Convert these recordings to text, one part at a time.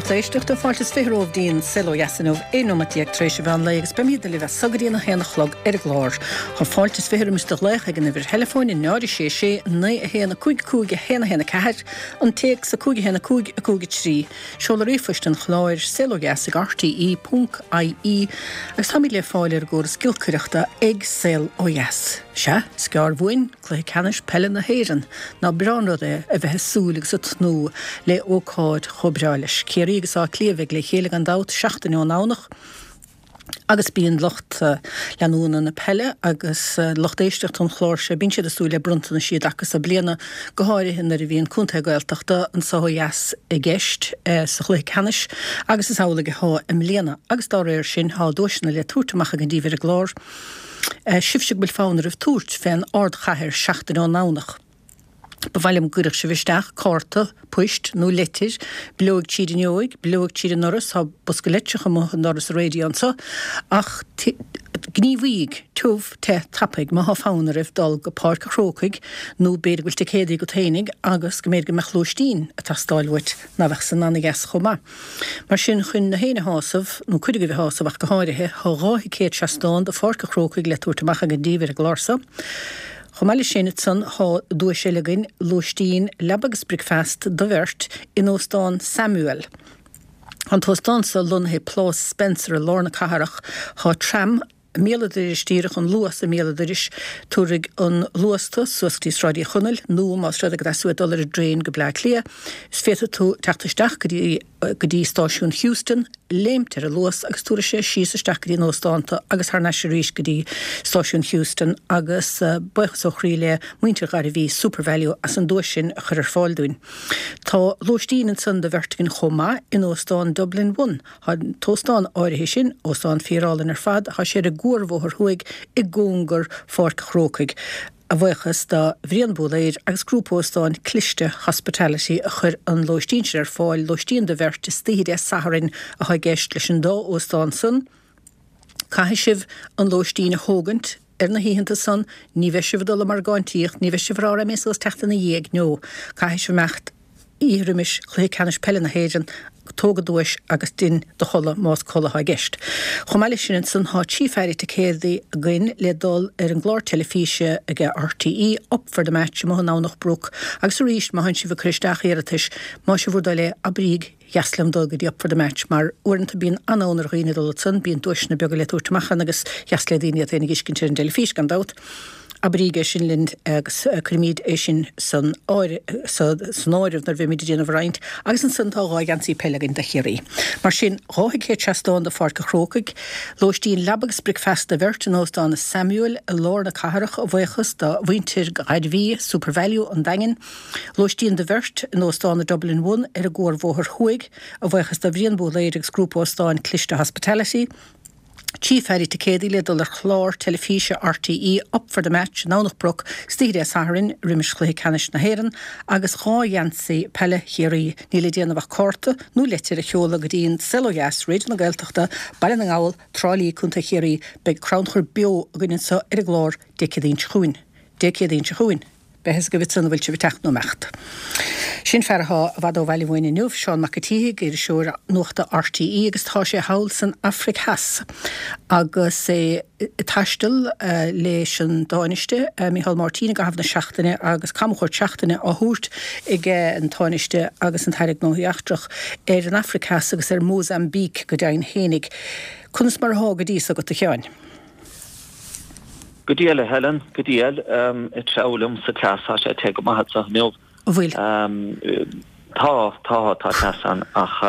lucht éisteachta, fáilte is 20 romhaibh dtí'n Saol Ó Dheas inniu, 11 nóimeat tar éis an mheán lae agus beimídne libh as so go dtí an 1 a chlog ar an gclár. Tá fáilte is 20 roimis do ghlaoch ag an uimhir theileafóin 0 6 6 9 1 5 5 1 1 4, an téacs 5 1 5 5 3, seoladh ríomhphoist an chláir, saolodheas ag rte ponc ie agus táimid le fáil ar an gcóras giolcaireachta ag Saol Ó Dheas. Sea, is gearr uainn Cluiche Ceannais Peile na hÉireann. Ná breá an rud é a bheith ag súil agus ag tnúth le ócáid chomh breá leis. Ciarraí agus Áth Cliath a bheidh le chéile gan dabht seachtain ón nDomhnach agus bíonn lucht leanúna na peile agus lucht éisteachta an chláir seo, bíonn siad ag súil le bronntanaisí i dtaca so bliana, go háirithe nuair a bhíonn contae Gaeltachta anso ó dheas i gceist sa chluiche ceannais agus is amhlaidh athá i mbliana agus dá réir sin thá duaiseanna le tabhairt amach againn díbh ar an gclár. Sibhse go bhfuil fonn oraibh tabhairt fén ardchathair seachtain ón nDomhnach. Ba mhaith liom go gcuirfeadh sibh isteach cárta poist nó leitir, bileoig tríd an fhuinneoig, bileoig tríd an ndoras, tá bosca leitreach amuigh i ndoras an raidió anso, ach gníomhaígh, tiubh, te, tapaidh, má thá fonn oraibh dul go Páirc a' Chrócaigh nó b'fhéidir go bhfuil ticéadaí agat fhéinig agus go mb'fhéidir go mbeadh lóistín ag teastáil uait ná bheadh san ana-dheas chomh maith. Mar sin, chun na héinne a shásamh, nó cuid agaibh a shásamh ach go háirithe, thá 2 thicéad seastán do Pháirc a' Chrócaigh le tabhairt amach againn díbh ar an gclár so. Chomh maith leis sin, ansan, thá duais eile againn, lóistín, leaba agus bricfeast do bheirt in Óstán Samuel. Thá an t-óstán so lonnaithe i Plás Spencer i lár na cathrach. Thá tram I mbéal an dorais díreach, an Luas i mbéal an dorais, tabharfaidh an Luas tu suas go dtí Sráid Uí Chonaill nó más rud é go dteastaíonn uait dul ar an dtraein go Bleá Cliath, is féadfaidh tú teacht isteach go dtí go dtí stáisiún Heuston, léimt ar an Luas agus tabharfaidh sé síos isteach go dtí an óstán tu agus thar n-ais arís go dtí stáisiún Heuston agus buíochas ó chroí le muintir Ghairbhí SuperValu as an duais sin a chur ar fáil dúinn. Tá lóistín ansan do bheirt againn chomh maith in Óstán Dublin One. Tá an t-óstán áirithe sin, óstán fíorálainn ar fad, thá sé ar an gCuarbhóthar Thuaidh i gcóngar Pháirc a' Chrócaigh, a bhuíochas do Bhrian Búlaeir agus Grúpa Óstán Cliste Hospitality a chuir an lóistín sin ar fáil, lóistín do bheirt istoíche Dé Sathairn athá i gceist leis an dá óstán san. Caithfidh sibh an lóistín a thógaint ar na hoícheanta san, ní bheidh sibh ag dul ag margáintíocht, ní bheidh sibh ag rá raghaidh mé suas teacht ina dhiaidh, no, caithfidh sibh imeacht oíche roimis Chluiche Ceannais Peile na hÉireann, tóg an duais agus dein do chodladh más codladh athá i gceist. Chomh maith leis sin ansan thá trí pheairí ticéadaí againn le dul ar an gclár teilifíse ag RTÉ, Up for the Match amuigh i nDomhnach Broc agus arís má thánn sibh ag cur isteach iarratais, más é bhur dtoil é, abraíg dheas liom dul go dtí Up for the Match mar uaireanta bíonn an-fhonn ar dhaoine dul ansan, bíonn duaiseanna beaga le tabhairt amach ann agus dheas le daoine iad féin a dh'fheiscint ar an dteilifís gan dabht. Abraíg é sin linn agus cuirfimíd é sin san san áireamh nuair a bheimíd ag déanamh an roinnt agus ansan tá 2 gheansaí peile againn do Chiarraí. Mar sin, 2 thicéad seastán do Pháirc a' Chrócaigh, lóistín leaba agus bricfeasta do bheirt in Óstán Samuel i lár na cathrach a bhuíochas do mhuintir Ghairbhí, SuperValu an Daingin, Lóistín do bheirt in Óstán an Dublin One ar an gCuarbhóthar Thuaidh, a bhuíochas do Bhrian Búlaeir agus Grúpa Óstáin Cliste Hospitality. 3 pheairí ticéadaí le dul ar chlár teilifíse RTÉ Up for the Match i nDomhnach Broc istoíche Dé Sathairn roimis Chluiche Ceannais na hÉireann agus 2 gheansaí peile Chiarraí. Níl le déanamh ach cárta nó leitir a sheoladh go dtí an Saol Ó Dheas, Raidió na Gaeltachta, Baile na nGall, Trá Lí, Co. Chiarraí. Beidh crannchur beo againn anseo ar an gclár Dé Céadaoin seo chugainn. Dé Céadaoin seo chugainn. Beidh fhios agaibh ansan an bhfuil sibh ag teacht nó imeacht. Sin fear athá i bhfad ó bhaile uainn inniu, Seán Mac a' tSíthigh, iriseoir nuachta RTÉ agus tá sé thall san Afraic Theas agus é ag taisteal leis an Tánaiste, Micheál Martin i gcaitheamh na seachtaine agus camchuairt seachtaine á thabhairt aige an Tánaiste agus an tAire Gnóthaí Eachtrach ar an Afraic Theas agus ar Mozambique go deimhin fhéinig. Conas mar athá go dtí so agat a Sheáin? Go diail, a Helen, go diail. Ag treabhadh liom sa teas, tá sé te go maith anseo inniu. An bhfuil? Tá, tá, tá teas ann ach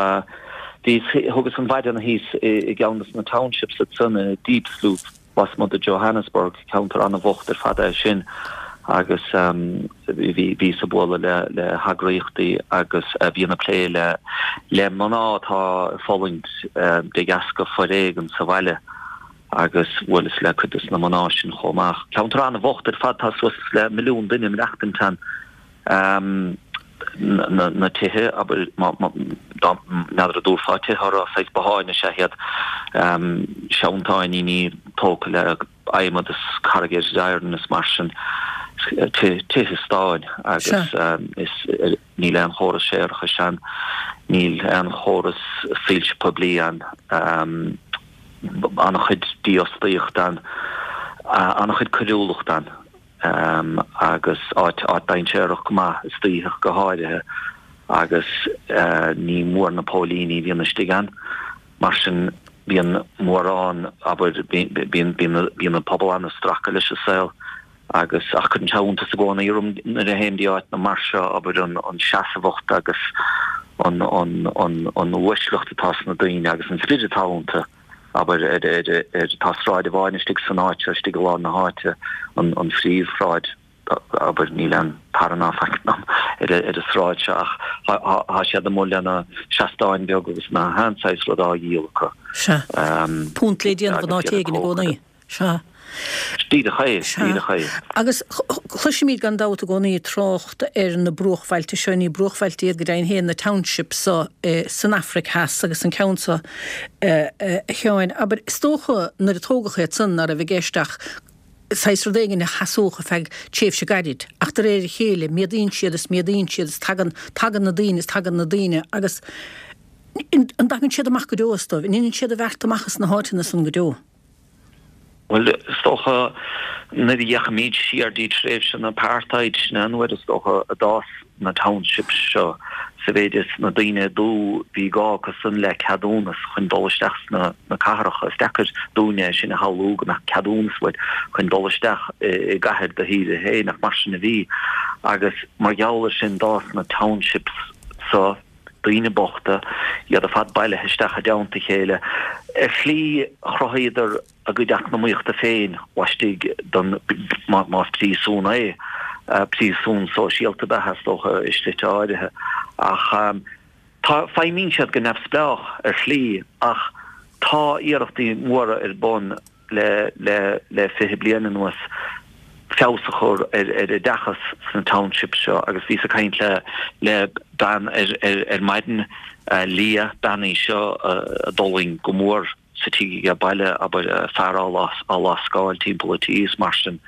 bhíos, thugas an mhaidin thíos i gceann de na townships ansan i Diepsloot, lasmuigh de Johannesburg, ceantar an-bhocht ar fad é sin agus bhí, bhíos ag bualadh le, le heagraíochtaí agus a bhíonn ag plé le, le mná atá ag fulaingt de dheasca foréigean sa bhaile. agus bhuaileas le cuid des na mná sin chomh maith. Ceantar an-bhocht ar fad, tá suas le milliún duine ag maireachtaint ann. Na tithe, abair, dá n'fheadar an dtabharfá tithe orthu, saghas botháin is ea iad, seantáiníní tógtha le adhmad is corrugated iron is mar sin, tithe stáin agus is. Níl aon chóras séarachais ann. Níl aon chóras soilse poiblí ann, an-chuid dífhostaíocht ann, an-chuid coiriúlacht ann agus áit dainséarach go maith istoíche go háirithe agus ní mór na póilíní a bhíonn istigh ann. Mar sin bíonn mórán, abair, bíonn an pobal an-stracadh leis an saol. Agus, ach cuireann sé iontas i gcónaí orm nuair a théim dtí áiteanna mar seo, abair, an seasmhacht agus an, an, an, an uaisleacht atá sna daoine agus an spiorad atá iontu, abair, ar, ar, ar, tá sráid amháin istigh san áit seo, istigh i lár na háite, an, an phríomhshráid, abair, níl aon tar ná faic ar, ar an sráid seo ach tá, tá siad amuigh lena seastáin beaga agus na haon saghas rud á dhíol acu. Sea. Punt le déanamh in áit éigin i gcónaí. Sea. Díreach é, díreach é. Agus cloisimid gan dabht i gcónaí trácht ar na bruachbhailte seo, ní bruachbhailte iad go deimhin féin, na townships so san Afraic Theas agus an ceann so, a Sheáin, abair, is dócha nuair a tógadh iad san ná raibh i gceist ach saghas rud éigin a sheasódh ar feadh tréimhse gairid ach de réir a chéile méadaíonn siad is méadaíonn siad is tagann, tagann na daoine is tagann na daoine agus an dtagann siad amach go deo astu, an ndéanann siad a bheart amach as na háiteanna san go deo? Bhuel, is dócha, nuair a fhéachaimid siar dtí tréimhse an apartheid, sin é an uair is dócha a d'fhás na townships seo, sa mhéid is na daoine dubha, bhí gá acu san le ceadúnas chun dul isteach sna cathracha. Is deacair dúinne é sin a shamhlú, go mbeadh ceadúnas uait chun dul isteach i gcathair do thíre féin, ach mar sin a bhí. Agus mar gheall ar sin d'fhás na townships so. daoine bochta, iad ar fad bailithe isteach i dteannta a chéile. Ar shlí, chruthaíodar a gcuid eacnamaíochta féin laistigh den, más príosún é, príosún sóisialta ab ea, is dócha, i slite áirithe. Ach tá, feidhmíonn siad go neamhspleách ar shlí, ach tá iarrachtaí móra ar bun le le 20 bliain anuas feabhas a chur ar ar oideachas sna townships seo agus bhíos ag caint le le bean ar ar ar maidin, Leah, bean í seo a d'fhulaing go mór sa tigh aige baile, abair, fear á á lascáil timpeall an tí is mar sin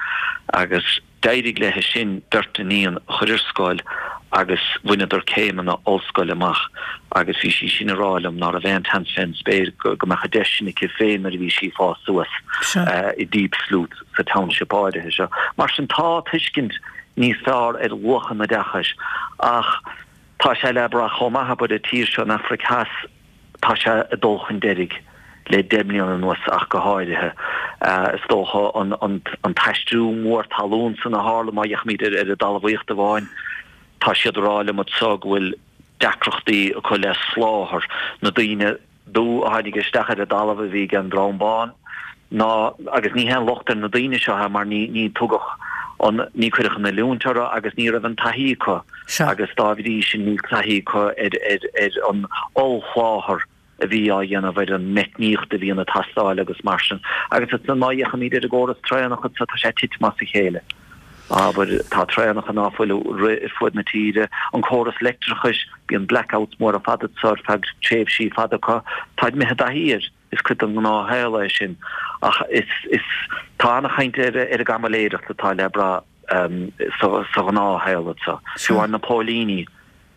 agus. D'éirigh léi sin beirt iníon a chur ar scoil agus bhaineadar céimeanna ollscoile amach agus bhí sí sin ag rá liom ná raibh aon tseans fén spéir go mbeadh an deis sin aici féin nuair a bhí sí ag fás suas i Diepsloot sa township áirithe seo. Mar sin tá tuiscint níos fearr ar luach an oideachais ach tá sé le brath chomh maith abair an tír seo an Afraic Theas Tá sé ag dul chun deiridh le 10 mbliana anuas ach go háirithe. Is dócha an t-aistriú mór talún san a tharla, má fhéachaimid ar an dtalmhaíocht amháin, tá siad ag rá liom anseo go bhfuil deacrachtaí acu le soláthar. Na daoine dubha a tháinig isteach ar an dtalamh a bhí ag an dream bán, ná, agus ní haon locht ar na daoine seo é mar ní, ní tugadh an, ní cuireadh an oiliúint orthu agus ní raibh an taithí acu agus dá bhrí sin níl taithí acu ar, ar, ar an ollsholáthar a bhí á dhéanamh ar an meicníocht a bhíonn ag teastáil agus mar sin. Agus ansan má fhéachaimid ar an gcóras traenach anseo tá sé ag titim as a chéile. Abair, tá traenacha ná fuil ag rith ar fuaid na tíre, an córas leictreachais, bíonn blackouts móra fada anseo ar feadh tréimhsí fada acu, táid imithe i dtaithí air. Is cuid den ghnáthshaol é sin. Ach is, is, tá an-chaint ar, ar an gcaimiléireacht atá le brath sa, sa ghnáthshaol anseo. Fiú amháin na póilíní,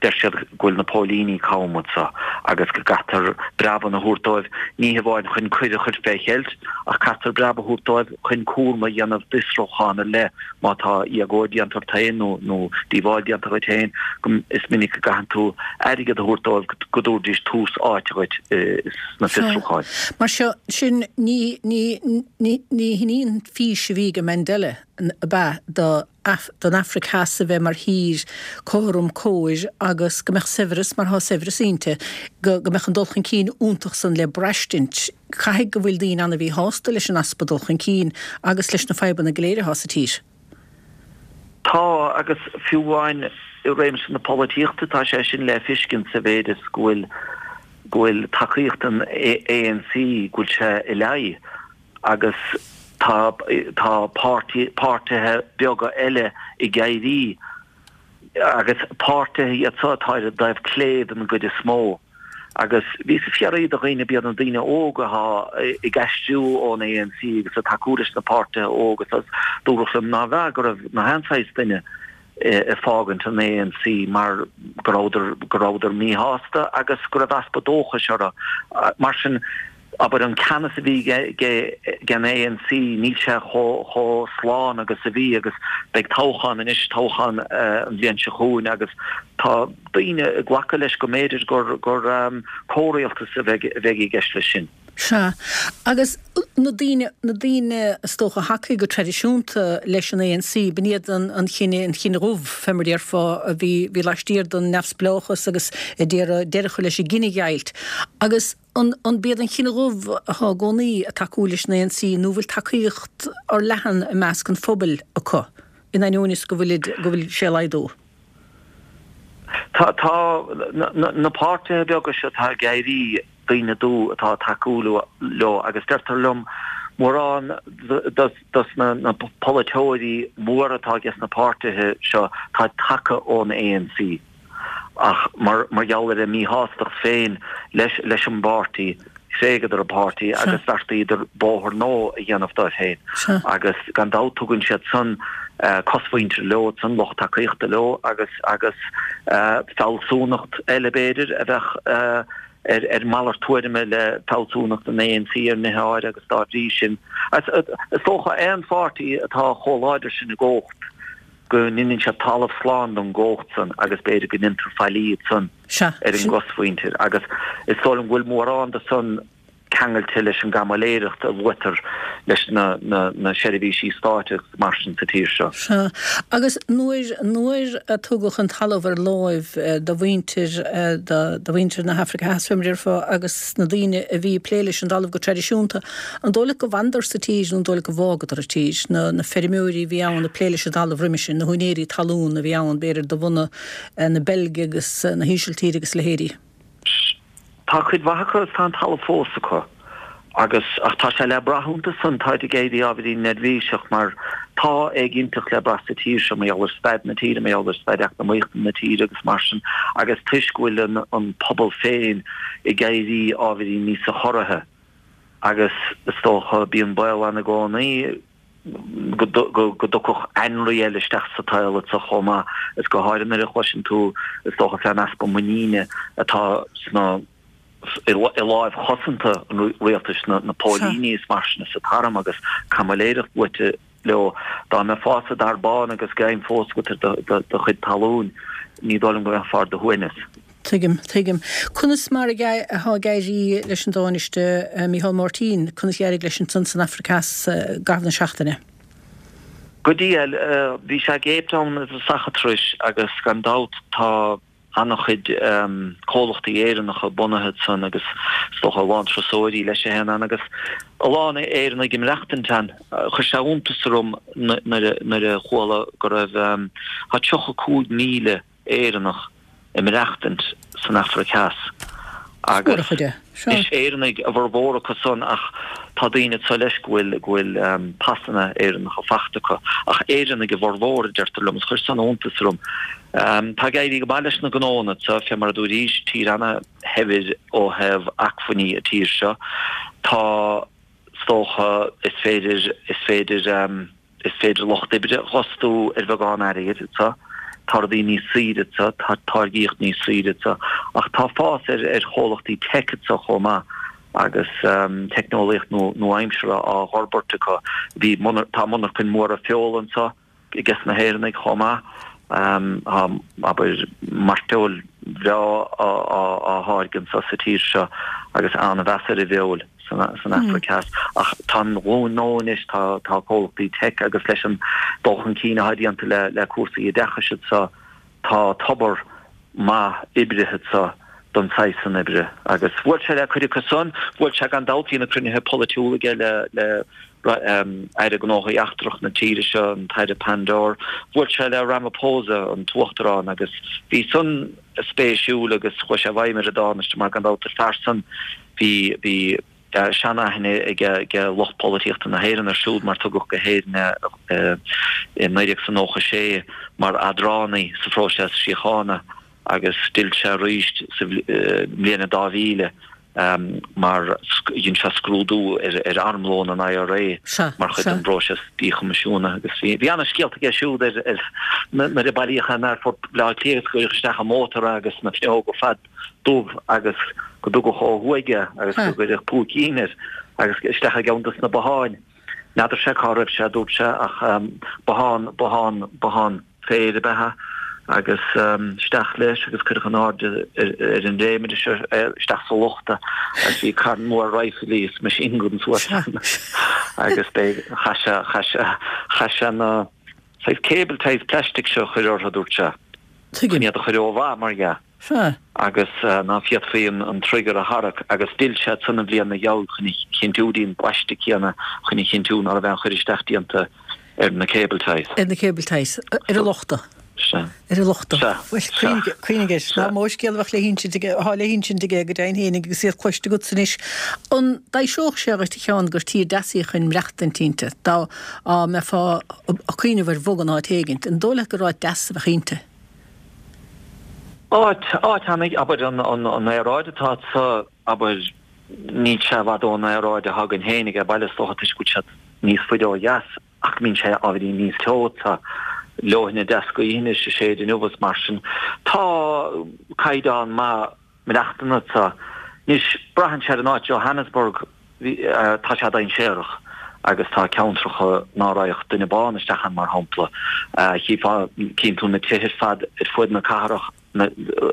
deir siad go bhfuil na póilíní cam anseo agus go gcaithfear breabanna a thabhairt dóibh, ní hamháin chun coir a chur fé cheilt, ach caithfear breab a thabhairt dóibh chun cúram a dhéanamh d'fhiosrúchán ar leith má tá éagóir déanta ort féin nó, nó díobháil déanta dhuit féin, go, is minic go gcaitheann tú airgead a thabhairt dóibh go dtabharfaidís tús áite dhuit sna fiosrúcháin. Mar seo, sin, ní, ní, ní, ní hin í an fís a bhí ag Mandela, ab ea, do, don Afraic Theas a bheith mar thír cothrom cóir agus go mbeadh saibhreas mar thá saibhreas inti, go, go mbeadh an dul chun cinn iontach san le braistint. Caithfidh go bhfuil daoine ana-mhíshásta leis an easpa dul chun cinn agus leis na fadhbanna go léir athá sa tír. Tá, agus fiú amháin i réimse na polaitíochta tá sé sin le fiscint sa mhéid is go bhfuil go bhfuil tacaíocht an ANC go bhfuil sé i leaidh agus tá tá páirtí páirtithe beaga eile ag éirí agus páirtithe iad seo atá ar an dtaobh clé den gcuid is mó. Agus bhíos ag fiafraí de dhaoine, b'iad na daoine óga atá ag aistriú ón ANC agus ag tacú leis na páirtithe óga, agus dúradh liom nárbh ea, go raibh na haon saghas duine. ag fágaint an ANC mar go rabhadar, go rabhadar míshásta agus go raibh easpa dóchais orthu. Mar sin, abair, an ceannas a bhí ag an ANC, níl sé chomh slán agus a bhí agus beidh toghchán anois, toghchán an bhliain seo chugainn agus tá daoine ag glacadh leis go mb'fhéidir gur comhrialtas a bheidh i gceist leis sin. Sea. Agus na daoine, na daoine is dócha a thacaigh go traidisiúnta leis an ANC, b'in iad an, an chine, an chine dhubh, fé mar a déarfá, a bhí, bhí laistiar den neamhspleáchas agus a d'iarraidh deireadh a chur leis an gcinedheighilt. Agus an, an b'iad an chine dhubh atá i gcónaí ag tacú leis an ANC nó bhfuil tacaíocht fhorleathan i measc an phobail acu, in ainneoin is go bhfuilid, go bhfuil sé ag laghdú? Tá, tá na, na, na páirtithe beaga seo atá ag éirí, daoine dubha atá ag tacú leo agus deirtear liom mórán dos na polaiteoirí móra atá ages na páirtithe seo táid tagtha ón ANC ach mar gheall ar a míshástacht féin leis an bpáirtí thréigeadar an páirtí agus bheartaíodar bóthar nua a dhéanamh dóibh féin agus gan dabht tugann siad san cosmhuintir leo san lucht tacaíochta leo agus agus fealsúnacht eile b'fhéidir a bheadh ar malairt tuairime le fealsúnacht an ANC ar nithe áirithe agus dá bhrí sin, is dócha, aon pháirtí atá chomh láidir sin i gcumhacht go ndeineann siad talamh slán don gcumhacht san agus b'fhéidir go ndeintear faillí ansan ar an gcosmhuintir agus is dóigh liom go bhfuil mórán de san ceangailte leis an gcaimiléireacht a luaitear leis na seirbhísí stáit agus mar sin sa tír seo. Sea. Agus nuair, nuair a tugadh an talamh ar láimh do mhuintir, do mhuintir na hAfraice Theas, fé mar a déarfá, agus na daoine a bhí ag plé leis an dtalamh go traidisiúnta, an dóigh leat go bhfanadar sa tír nó an dóigh leat go bhfágadar an tír, na, na feirmeoirí a bhí ann ag plé leis an dtalamh roimis sin, na húinéirí talún a bhí ann, b'fhéidir, de bhunadh na Beilge agus na hÍsiltíre agus a leithéidí? Tá cuid mhaith acu agus tá an talamh fós acu agus ach tá sé le brath iontu san, táid ag éirí ábhairín neirbhíseach mar tá éiginnteacht le brath sa tír seo mar gheall ar staid na tíre, mar gheall ar staid eacnamaíochta na tíre agus mar sin agus toisc go bhfuil an an pobal féin ag éirí ábhairín níosa chorraithe agus is dócha bíonn baol ann i gcónaí go dtiocfadh ainrí eile isteach sa tsaol anso chomh maith, is go háirithe nuair a chloiseann tú, is dócha, fén easpa muiníne atá sna, i láimh chosanta an rialtais, na póilíní is mar sin is an t-arm agus caimiléireacht luaite leo. Dá mbeifeá sa dair bán agus greim fós agat ar do chuid talún, ní dóigh liom go mbeifeá ar do shuaimhneas. Tuigim, tuigim. Conas mar atá ag éirí leis an dTánaiste Micheál Martin, conas a d'éirigh leis ansan san Afraic Theas i gcaitheamh na seachtaine? Go diail, bhí sé i gCape Town i dtosach an turais agus gan dabht tá an-chuid comhlachtaí Éireannacha bunaithe ansan agus is dócha a lán turasóirí leis a théann ann agus a lán Éireannaigh ag maireachtaint ann. Chuir sé iontas orm nuair a chuala go raibh, tá 35,000 Éireannach ag maireachtaint san Afraic Theas agus is Éireannaigh a bhformhór acu san ach tá daoine anso leis go bhfuil go bhfuil pasanna Éireannacha fachta acu ach Éireannaigh a bhformhór a deirtear liom is chuir san iontas orm. Tá ag éirí go maith leis na gnóanna anso fé mar a dúraís tír ana-shaibhir ó thaobh acmhainní an tír seo. Tá is dócha is féidir is féidir Is féidir lucht oibre a dh'fhostú ar bheagán airgid anso. Tá rudaí níos saoire anso, tá táirgíocht níos saoire anso. Ach tá fás ar ar chomhlachtaí teic anso chomh maith agus teicneolaíocht nua-aimseartha á dh'fhorbairt acu. Bhí tá monarchain mhóra feola anso ages na hÉireannaigh chomh maith. Tá, abair, mairteoil bhreá á tháirgeadh anso sa tír seo agus an-mheas ar an bhfeoil. san Afraic Theas. Ach tá an ghlúin nua anois, tá comhlachtaí teic agus leis an dul chun cinn atá déanta le cúrsaí oideachais anso, tá tobar maith oibrithe anso don saghas san oibre. Agus bhuail sé le cuid acu san, bhuail sé gan dabht, bhí na cruinnithe polaitiúla aige le Aire Gnóthaí Eachtrach na tíre seo, an tAire Pandor, bhuail sé le Ramaphosa, an tUachtarán, agus bhí san spéisiúil agus chuaigh sé i bhfeidhm ar an dTánaiste mar gan dabht an fear san Bhí, bhí seanaithne ag lucht polaitíochta na hÉireann air siúd mar tugadh go hÉirinn é i 1996 mar eadránaí sa phróiseas síochána agus d'fhill sé arís sa mbliain 2000. Mar dhein sé scrúdú ar armlón an IRA mar chuid den bpróiseas díchoimisiúnaithe agus bhí ana-scéalta aige siúd ar nuair a bailíodh in Aerfort Bhaile Átha Cliath agus cuireadh isteach i mótar é agus na fuinneoga ar fad dubh agus go dtugadh ó thuaidh é agus go gcuireadh púicín air agus isteach i gceann dos na botháin. N'fheadar sé cá raibh sé, dúirt sé, ach bothán, bothán, bothán féir ab ea é agus isteach leis agus cuireadh in airde ar an léimire seo isteach sa lochta agus bhí carn mór raidhfilí is machine guns suas ann agus b'é chaith sé, chaith sé, chaith sé na saghas cable ties plastic seo a chur orthu, dúirt sé. Tuigim. Chun iad a chur ó mhaith, mar dhea. Sea. Agus ná féadfaí an trigger a tharrac agus d'fhill sé ansan an bhliain 'na gheall chun a chinntiú dtí an bpaiste céanna chun a chinntiú ná raibh aon chur isteach déanta ar na cable ties. Ar na cable ties. Ar an lochta. Sea. Ar an lochta. Sea. Bhuel, cuimhnigh, cuimhnigh air. Sea. Nach mó scéal a bheadh le hinsint aige, atá le hinsint aige go deimhin fhéinig agus iad cloiste agatsa anois. An dtaibhseodh sé dhuit, a Sheáin, gur tír deas í chun maireachtaint inti, dá mbeifeá ag cuimhneamh ar bhogadh in áit éigint? An dóigh leat gur áit deas a bheadh inti? Áit, áit ana, abair, an aeráid atá anso, abair, níl sé i bhfad ón aeráid atá againn féinig ar baile, is dócha, toisc go bhfuil siad níos faide ó dheas, ach go mbíonn sé ábhairín níos teo, tá leoithne deas gaoithe anois ag séideadh inniu is mar sin. Tá caighdeán maith maireachtana anso. Anois, braitheann sé ar an áit, Johannesburg, tá sé dainséarach agus tá ceantracha ná raghadh duine bán isteach ann, mar shampla. Chífeá, cíonn tú na tithe ar fad ar fuaid na cathrach,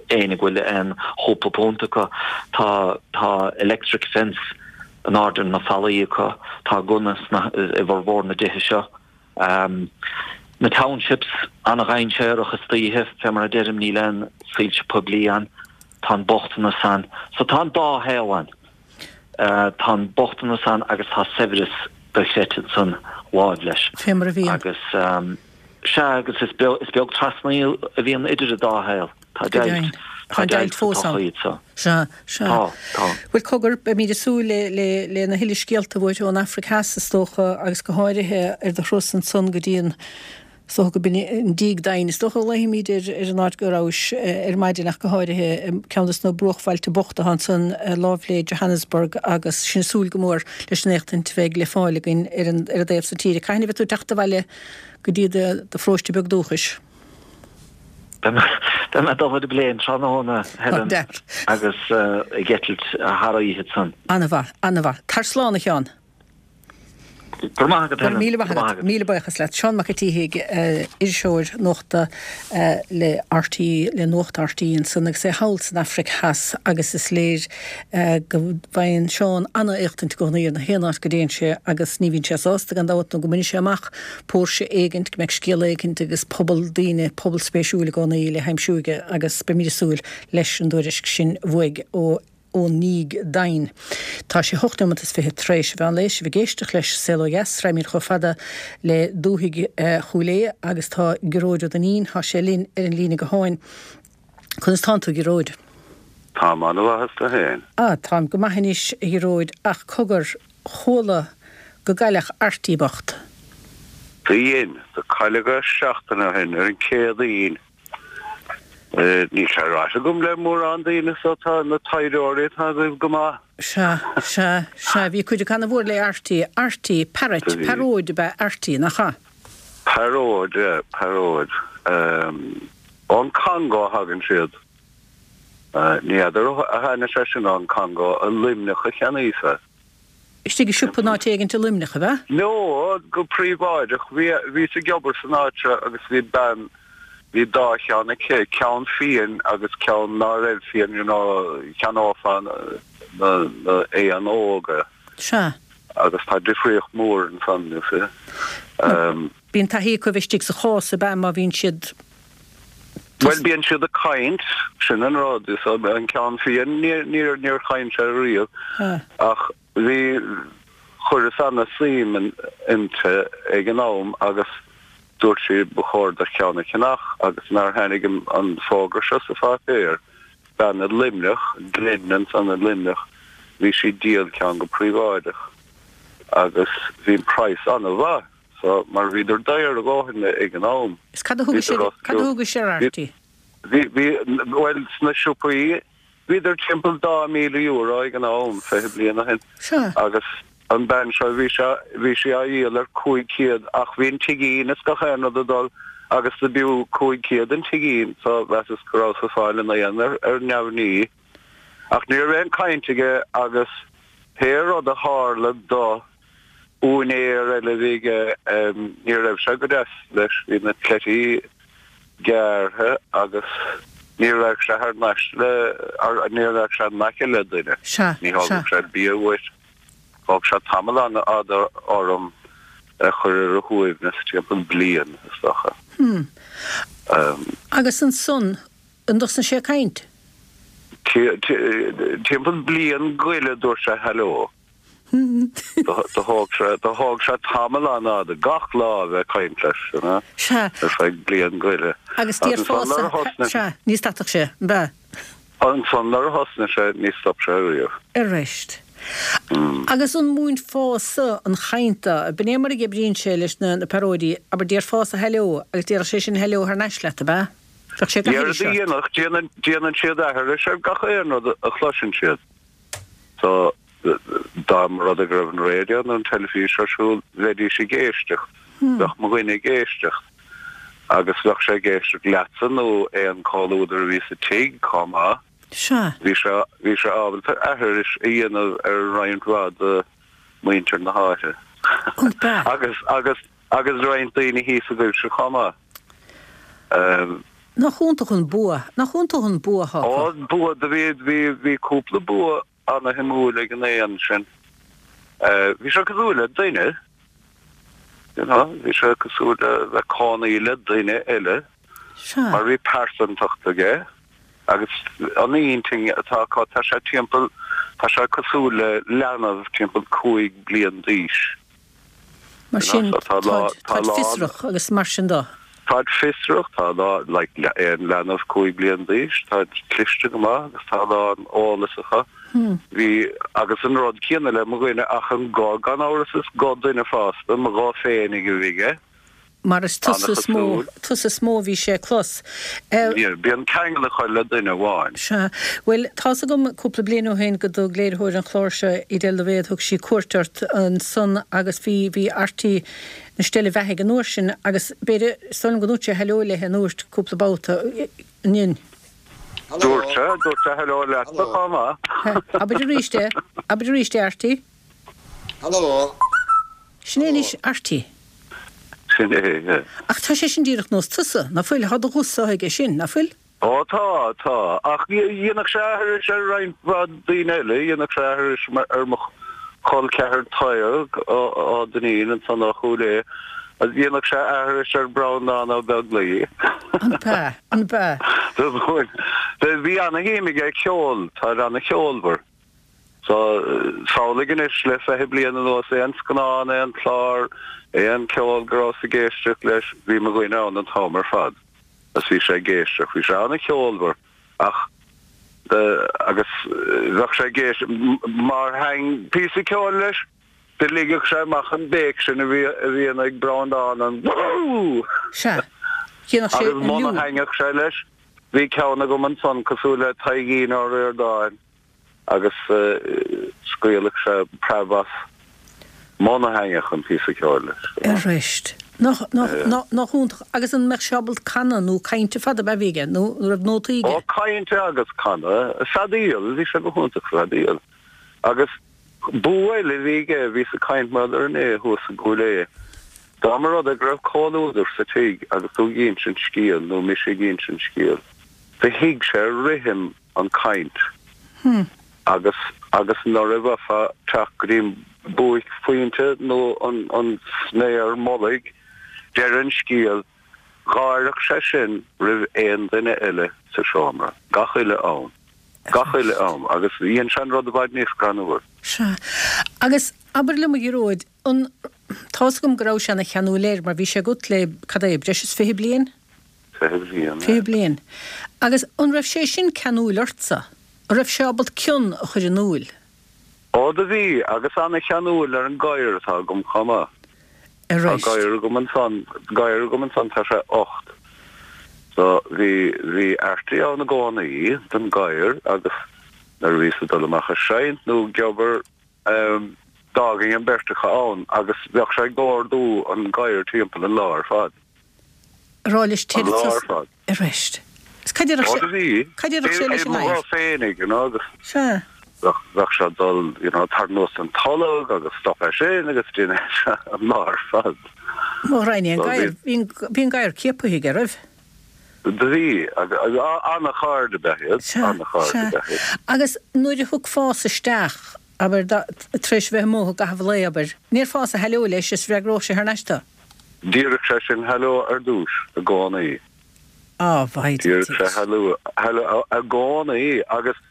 éinne go bhfuil aon chúpla punt acu, tá, tá electric fence in airde ar na fallaí acu, tá gunna sna, i bhformhór na dtithe seo. Na townships, an-dhainséarach istoíche, fé mar a deirim, níl aon soilse poiblí ann, tá an bochtanas ann. So tá an dá shaol ann. Tá an bochtanas ann agus tá saibhreas dochreidte ansan láimh leis. Fé mar a bhíonn. Agus, sea, agus is beag trasnaí a bhíonn idir an dá shaol. Tá deighilt. Tá an deighilt fós ann. Sea, sea. Tá, tá. Bhuel, cogar, beimid ag súil le, le, lena thuilleadh scéalta uait ón Afraic Theas, is dócha, agus go háirithe ar do thuras ansan go dtí an, is dócha go b'in an díog doimhin, is dócha a ghlaofaimid ar, ar an áit go rabhais ar maidin ach go háirithe, ceann de na bruachbhailte bochta atá ansan láimh le Johannesburg agus sinn ag súil go mór leis an éachtaint a bheidh le fáil againn ar an, ar an dtaobh san tíre. Cathain a bheidh tú ag teacht abhaile go dtí do, do pharóiste beag dúchais? Beidh mé ag dul ar an bpléin tráthnóna, Helen, agus ag eitilt thar oíche ansan. Ana-mhaith, ana-mhaith. Tar slán, a Sheáin. Go raibh maith agat, Helen. Míle maith agat. Míle buíochas leat. Seán Mac an tSíthigh, iriseoir nuachta le RTÉ, le Nuacht RTÉ ansan agus é thall san Afraic Theas agus is léir go bhfaigheann Seán ana-éachtaint i gcónaí ar na haon áit go dtéann sé agus ní bhíonn sé sásta gan dabht nó go mbainfidh sé amach póirse éigint, go mbeidh scéal éigint agus pobal daoine, pobal spéisiúil i gcónaí le haimsiú aige agus beimid ag súil leis an dtuairisc sin uaidh ó ón ndíog doimhin. Tá sé hocht neomat is fiche tar éis an mheán lae, sibh ag éisteacht leis Saol Ó Dheas, raghaimid chomh fada le dúthaigh Chúil Aodha agus tá Gearóid Ó Duinnín, tá sé linn ar an líne gutháin. Conas tánn tú, a Ghearóid? Táim an-mhaith, is tú féin? Ah, táim go maith anois, a Ghearóid, ach cogar, chuala go gcailleadh Arty bocht. Do dhein. Do cailleadh é seachtain ó shin, ar an Céadaoin. Níl sé ráite agam le mórán daoine so tá na taidhreoirí atá agaibh go maith. Sea, sea, sea, bhí cuid acu ana-mhór le Arty. Arty, parrot, pearóid ab ea Arty, nach ea? Pearóid, yeah, pearóid. Ón Congo a thagann siad. Ní fheadar a tháinig sé sin ón Congo, i Luimneach a cheannaíos é. Istigh i siopa in áit éigint i Luimneach, ab ea? No, go príobháideach. Bhí, bhíos ag obair san áit seo agus bhí bean, bhí dá cheann aici, ceann fiain agus ceann ná raibh fiain, you know, cheannófá na, na éin óga. Sea. Agus tá difríocht mhór ansan, you see. Bíonn taithí acu a bheith istigh sa chás, ab ea, má bhíonn siad. Bhuel, bíonn siad ag caint, sin an rud. Is an ceann fiain, níor, níor chaint sé riamh. Ach bhí, chuireas ana-suim inti ag an am agus dúirt sí ba chóir do cheann a cheannach agus nár tháinig an fógra seo sa pháipéar, bean i Luimneach, Glen ansan i Luimneach, bhí sí ag díol ceann go príobháideach agus bhí an praghas ana-mhaith. So, mar bhíodar daor a dhóthain ag an am. Is cad a thugais ar, cad a thugais ar Arty? Bhí, bhí, bhuel, sna siopaí. Bhíodar timpeall €2,000 ag an am, 20 bliain ó shin. Sea. Agus an bean seo, bhí sé, bhí sí á dhíol ar 500 ach bhí an tigín is gach aon rud ag dul agus do b'fhiú 500 an tigín so mheasas go rabhas ag fáil an éan ar, ar neamhní. Ach ní raibh aon caint aige agus pé rud a tharla do úinéir eile a bhí aige, ní raibh sé go deas leis, bhí na cleití gearrtha agus ní raghadh sé thar n-ais le, ní raghadh sé in aice le duine. Sea, Ní thógadh sea. sé bia uait. Thóg sé tamall an-fhada orm a chur ar a shuaimhneas, timpeall bliain, is dócha. Hmm. Agus ansan, an dtosnaigh sé ag caint? Timpeall bliain goile dúirt sé hello. Do thóg sé, do thóg sé tamall an-fhada, gach lá a bheith ag caint leis, you know, Sea. ar feadh bliain goile. Agus déarfása, sea, ní stadfadh sé, an b'ea? Ansan nuair a thosnaigh sé, ní stop sé riamh. Arist. Agus an múinfeása an chaint dó, b'in é mar a oibríonn sé leis na pearóidí, abair déarfása hello agus déarfadh sé sin hello thar n-ais leat, ab ea? Bheadh sé ag aithris ort. Dhéanfadh, déanann, déanann siad aithris ar gach aon rud a chloiseann siad. So, dá mba rud é go raibh an raidió nó an teilifís ar siúl, bheidís ag éisteacht, bheadh mo dhuine ag éisteacht agus bheadh sé ag éisteacht leatsa nó aon comhluadar a bhí sa tigh chomh maith. Sea. Bhí sé, bhí sé ábalta aithris a dhéanamh ar roinnt mhaith de mhuintir na háite. An b'ea? Agus, agus, agus roinnt daoine thíos agaibhse chomh maith. Nach iontach an bua, nach iontach an bua atá acu. Ó, bua, do bhí, bhí, bhí cúpla bua ana-shuimiúil ag an éan sin. Bhí sé cosúil le duine, you know, bhí sé cosúil le bheith cónaí le duine eile. Sea. Mar bhí pearsantacht aige agus an intinn atá acu, tá sé timpeall, tá sé cosúil le leanbh timpeall 5 bliain d'aois. Mar sin, táid fiosrach agus mar sin de. Táid fiosrach, tá a lán, like, aon leanbh 5 bliain d'aois, táid cliste go maith agus tá a lán eolas acu. Bhí, agus an rud céanna le mo dhuine ach an guth, gan amhras is guth duine fásta, mo ghuth féinig a bhí aige. Mar is tusa is mó, tusa is mó a bhí sé ag clos. Bíonn ceangal acu le duine amháin. Sea. Bhuel, tá's agam cúpla bliain ó shin go dtug léiritheoir an chláir seo, Edel Daibhéad, thug sí cuairt ort ansan agus bhí, bhí Arty 'na steille bheathaidh an uair sin agus b'fhéidir, is dóigh liom go ndúirt sé hello léi an dúirt, cúpla babhta, an ndein? Dúirt sé, dúirt sé hello leatsa chomh maith. Abair arís é, abair arís é, Arty. Hello. Sin é anois Arty. Sin é, yeah. Ach tá sé sin díreach nós tusa, ná fuil? Tá do ghuth-sa aige sin, ná fuil? Ó tá, tá. Ach dhéanfadh sé aithris ar roinnt mhaith daoine eile, dhéanfadh sé aithris ar mo chol ceathar Tadhg Ó Duinnín ansan ó Chúil Aodha, agus dhéanfadh sé aithris ar Breandán Ó Beaglaoi. An b'ea? An b'ea? Bhí ana-shuim aige i gceol, tá sé ana-cheolmhar. So, samhlaigh anois le 20 bliain anuas, aon scannán, aon chlár, aon ceol go rabhas ag éisteacht leis, bhí mo dhuine ann an t-am ar fad agus bhí sé ag éisteacht. Bhí sé an-cheolmhar ach agus bheadh sé ag éisteacht, má sheinn píosa ceoil leis, do ligeadh sé amach an béic sin a bhí a bhíonn ag Breandán, an Woo! Sea. Dhéanfadh sé Agus an muna liú. sheinneadh sé leis, bhí ceann agam ansan cosúil le Taidhgín Ó Ríordáin. agus scaoilfeadh sé preab as muna thaitneodh an píosa ceoil leis. Arist. Nach, nach, nach, nach iontach. Agus an mbeadh sé ábalta canadh nó caint fada ab ea a bhí aige nó an raibh nótaí aige? Ó, caint agus canadh. Feadaíl, bhí sé go hiontach sa bhfeadaíl. Agus bua eile a bhí aige, bhíos ag caint mar gheall air inné thuas i gCúil Aodha. Dá mba rud é go raibh comhluadar sa tigh agus tú ag insint scéil nó mise ag insint scéil, do thuig sé rithim an caint agus agus nuair a bheifeá teacht go dtí an buaicphointe nó an an sméar mullaigh, deireadh an scéil, gháirfeadh sé sin roimh aon duine eile sa seomra, gach uile am, gach uile am agus dhein sé an rud i bhfad níos greannmhar. Sea. Agus abair liom a Ghearóid, an, tá's agam go raibh sé ana cheanúil air mar bhí sé agat le, cad é, breis is 20 bliain? 20 bliain. 20 bliain. Agus an raibh sé sin ceanúil ortsa? An raibh sé ábalta cion a chur in iúil? Ó do bhí, agus ana-cheanúil ar an gadhar atá agam chomh maith. Ar Tá éist. gadhar agam ansan, gadhar agam ansan, tá sé 8. So bhí, bhí Arty ann i gcónaí don gadhar agus. Nuair a bhíos ag dul amach ag seinnt nó ag obair, d'fhágainn an bheirt acu ann agus bheadh sé ag ardú an gadhair timpeall an lá ar fad. Ag rá leis An lá ar fad. Arís. Is cad déarfadh sé, cad déarfadh sé leis an ngadhar? Féinig, you know, agus Sea. bheadh, bheadh sé ag dul, you know, tar anuas an tolg agus stop é sin agus déanadh sé an lá ar fad. Mo ghraidhin é an gadhar, bhí an, bhí an gadhar ciaptha aige, raibh? Do bhí, agus an-chairde ab ea iad, Sea, an-chairde sea. ab ea iad. Agus nuair a thiocfása isteach, abair, tar éis a bheith amuigh i gcaitheamh an lae, abair, ndéarfása hello leis is bhfreagródh sé thar n-ais tu? Déarfadh sé sin hello ar dtúis i gcónaí. Á, mhaith Déarfadh sé hello, hello i gcónaí agus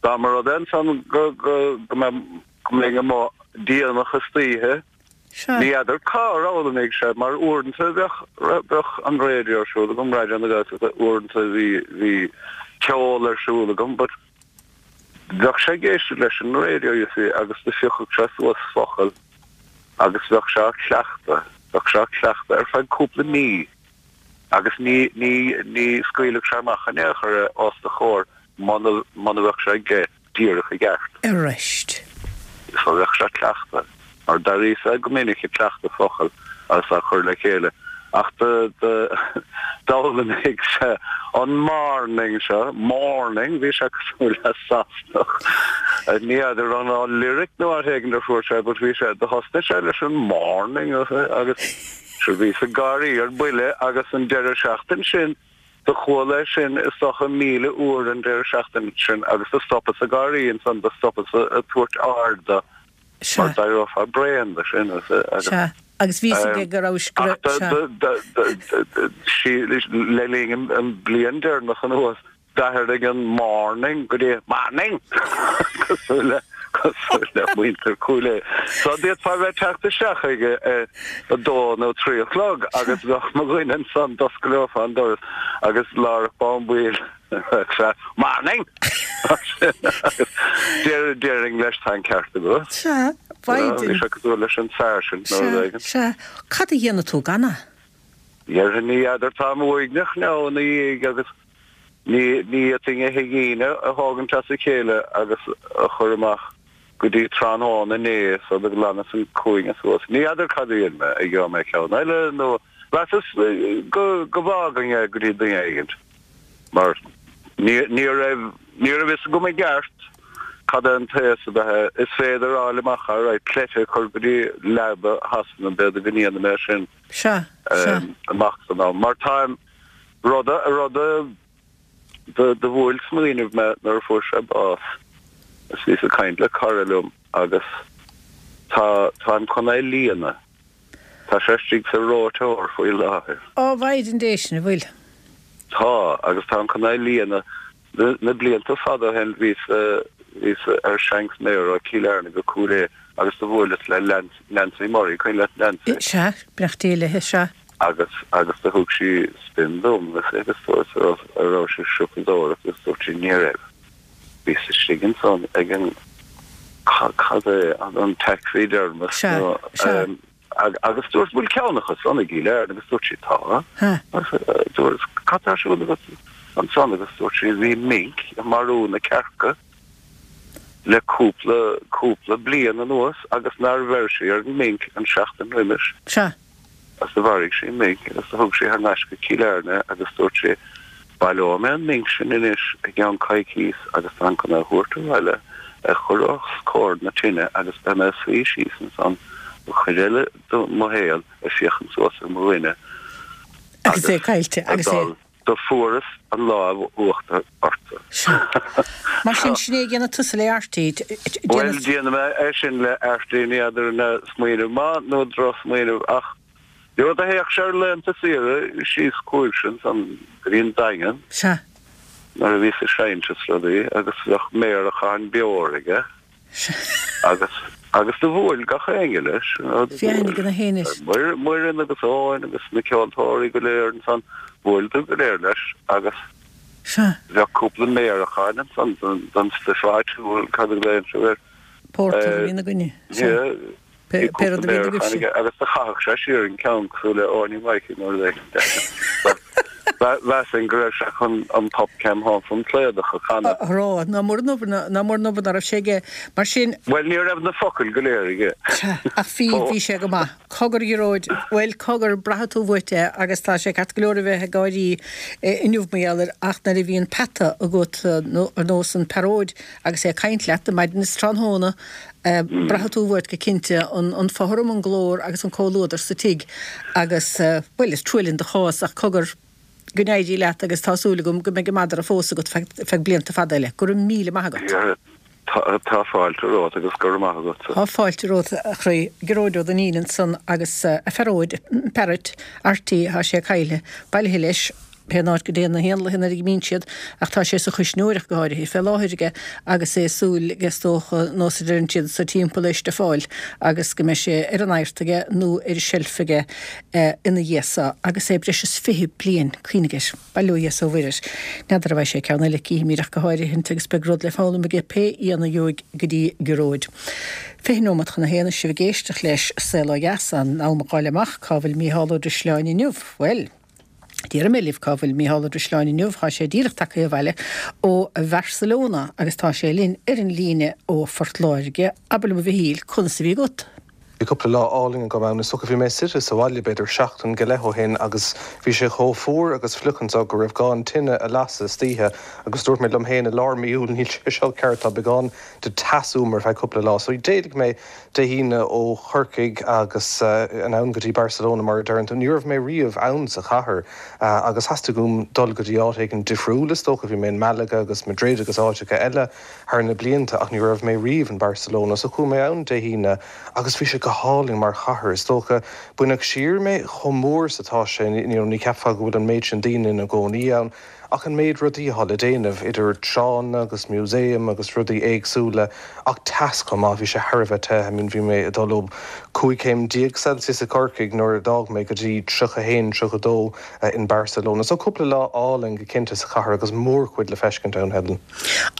dá mba rud é ansan go, go, go mbeadh, go mbeinn amuigh déanach istoíche, Sea. ní fheadar cár fhoghlaimigh sé mar uaireanta bheadh, bheadh an raidió ar siúl agam, Raidió na Gaeltachta, uaireanta bhí, bhí ceol ar siúl agam but bheadh sé ag éisteacht leis an raidió you see agus do phiocfadh sé suas focal agus bheadh sé á chleachtadh, bheadh sé á chleachtadh ar feadh cúpla mí agus ní, ní, ní scaoilfeadh sé amach in aon chor é os do chomhair muna, muna bheadh sé aige díreach i gceart. Arís. So bheadh sé ag cleachtadh, mar d'airíos-sa go minic ag cleachtadh focal agus á chur le chéile, ach do, do, d'fhoghlaimigh sé an morning seo, morning, bhí sé cosúil le Sasanach. Ní fheadar an ó lyric nó áit éigin ar fuair sé, but bhí sé, do thosnaigh sé leis an morning agus sure bhíos ag gáirí ar buile agus an deireadh seachtain sin, Do chuala é sin is dócha 1,000 uair an deireadh seachtaine sin agus do stopas ag gáirí ansan, do stopas ag tabhairt aird do Sea. mar d'éireofá bréan de sin agus. Sea, agus bhí fhios aige go raibh, go Ach raibh, sea. do, do, le linn an bliain deireanach anuas, D'athraigh an morning go dtí morning! Cosúil le, cosúil le muintir Chúil Aodha. So d'fhéadfá a bheith ag teacht isteach ag a, a dó nó trí a chlog agus bheadh mo dhuine ansan, d'osclófá an doras agus láithreach bonn baill bheadh sé, morning! Agus deir, déarfainn leis tá an ceart agat. Sea, Bhí sé cosúil leis an sergeant nó rud Sea, éigin. sea. Cad a dhéanfaidh tú gan é? Déarfainn ní fheadar, táim uaigneach now ina dhiaidh agus Ní fhéadfainn a thigín a thógaint as a chéile agus a chur amach go dtí tráthnóna inné so do ghlanfas an cúinne suas. Ní fheadar cad a dhéanfaidh mé, an gheobhaidh mé ceann eile nó mheasas go go bhfágfainn é go dtí duine éigint mar ní ní raibh ní raibh fhios agam i gceart cad é an taos ab ea é. Is féidir a fháil amach alright cleite a chur go dtí lab Shasana b'fhéidir go ndéanfaidh mé sin Sea, sea. amach san am mar táim Rud a, rud a do bhuail smaoineamh mé nuair a fuair sé bás is bhíos ag caint le cara liom agus tá, táim chun é líonadh. Tá sé istigh sa reoiteoir faoi láthair. Á, a Mhaighdean Dé, sin a bhfuil. Tá, agus táim chun é líonadh. Na blianta fada ó shin bhíos, bhíos ar seansméar ó Chill Airne go Cúil Aodha agus do bhuaileas le Nancy Murray, cuimhin leat Nancy? Sea, beannacht Dé léi, sea. Agus, agus do thug sí spin dom agus dúirt an raibh, an raibh sí ag siopadóireacht agus dúirt sí ní raibh. Bhíos istigh ansan ag an, cad é, an taxidermist Sea, nó, sea. Agus dúirt, bhfuil ceann acu san i gCill Airne? Agus dúirt sí, tá. Agus dúirt, cad tá ar siúl agat ansan? Agus dúirt sí, bhí minc ag marú na cearca le cúpla, cúpla bliain anuas agus nár bheir sí ar an minc an seachtain roimis. Sea. Agus do mharaigh sí minc agus do thug sí thar n-ais go Cill Airne agus dúirt sí, Baileoidh mé an minc sin anois i gceann coicíos agus táim chun é a thabhairt abhaile, a chur os comhair na tine agus beidh mé ag suí síos ansan an chuid eile de mo shaol ag féachaint suas ar mo dhuine Agus é caillte, agus é. dul. Do fuaireas an lámh uachtar ortsa. Sea. Mar sin, sin é a dhéanfaidh tusa le Arty. Bhuel, déanfaidh mé é sin le Arty, ní fheadar an é smaoineamh maith nó drochsmaoineamh ach do théadh sé ar laethanta saoire síos chugaibhse ansan go dtí an Daingean. Sea. Nuair a bhíos ag seinnt is rudaí agus bheadh méaracán beoir aige. Sea. Agus, agus do bhuail gach éinne leis, you know, do Bhí aithne bhuail ag na héinne. Muireann agus Eoin agus na ceoltóirí go léir ansan, bhuaileadar go léir leis agus Sea. bheadh cúpla méaracán ansan don, don stuif áitiúil, cad a ghlaonn sibh air? Pórtar a bhíonn againne. Sea. Yeah. Pé rud a bhíonn agaibhse. Agus do chaitheadh sé siar an ceann cosúil le Áine Mhaidhcín nó rud éigin. Mheasfainn go raibh sé chun an Pop Cam Thán san Slaodach a chanadh. A rá, ná mór an obair, ná mór an obair ná raibh sé aige. Mar sin. Bhuel, ní raibh na focail go léir aige. Sea, ach bhí, bhí sé go maith. Cogar, a Ghearóid, bhuel, cogar, braithfidh tú uait é agus tá sé ceart go leor a bheith ag gáirí inniu mar gheall air ach nuair a bhíonn peata agat ar nós an pearóid agus é ag caint leat maidin is tráthnóna, braithfidh tú uait go cinnte an fothram, an glór agus an comhluadar sa tigh agus, bhuel, is trua linn do chás ach cogar, go n-éirí leat agus tá súil agam go mbeidh an madra fós agat feadh blianta fada eile. Go raibh míle maith agat. Tá fáilte romhat agus go raibh maith agatsa. Tá fáilte romhat a chroí. Gearóid Ó Duinnín ansan agus a phearóid, parrot, Artie, thá sé caillte, bailithe leis, pé an áit go dtéann na héanlaithe nuair a dh'imíonn siad, ach tá sé sa chuisneoireacht go háirithe fé láthair aige agus é ag súil aige is dócha, nós a deireann siad sa timpeall é stuffáil agus go mbeidh sé ar an adhart aige nó ar an seilf aige ina dhiaidh so agus é breis is 20 bliain, cuimhnigh air. Bail ó Dhia is ó Mhuire air. N'fheadar an bhfaighidh sé ceann eile, cífimid ach go háirithint agus beidh rud le foghlaim aige pé éan a gheobhaidh go dtí Gearóid. 20 nóimeat chun a haon is sibh ag éisteacht leis Saol Ó Dheas, in am a dh'fháil amach cá bhfuil Mícheál Ó Drisleáin inniu. Bhuel, déarfaidh mé libh cá bhfuil Mícheál Ó Drisleáin inniu, tá sé díreach tagtha abhaile ó Bharcelona agus tá sé linn ar an líne ó Phort Láirge. Abair liom a Mhichíl, conas a bhí agat? Bhí cúpla lá álainn agam ann. Is dócha bhí mé suite sa bhaile b'fhéidir seachtain go leith ó shin agus bhí sé chomh fuar agus fliuch anseo go raibh gá an tine a lasadh istoíche agus dúirt mé liom féin i lár mí Iúil níl sé seo ceart tá beagán de teas uaim ar feadh cúpla lá. So d'éalaigh mé Dé hAoine ó Chorcaigh agus anonn go dtí Barcelona mar a deireann tú. Ní raibh mé riamh ann sa chathair agus theastaigh uaim dul go dtí áit éigin difriúil is dócha. Bhí mé in Malaga agus Madrid agus áiteacha eile. thar na blianta ach ní raibh mé riamh in Barcelona so chuaigh mé ann Dé hAoine agus bhí sé go hálainn mar chathair. Is dócha, baineadh siar mé chomh mór is atá sé, you know ní cheapfá go bhfuil an méid sin daoine ina gcónaí ann ach an méid rudaí atá le déanamh, idir tránna agus museum agus rudaí éagsúla ach teas chomh maith, bhí sé thar a bheith te, I mean bhí mé ag dul ó 15 céim Celsius i Corcaigh nuair a d'fhág mé go dtí 31, 32 in Barcelona. So cúpla lá álainn go cinnte sa chathair agus mórchuid le feiscint ann, Helen.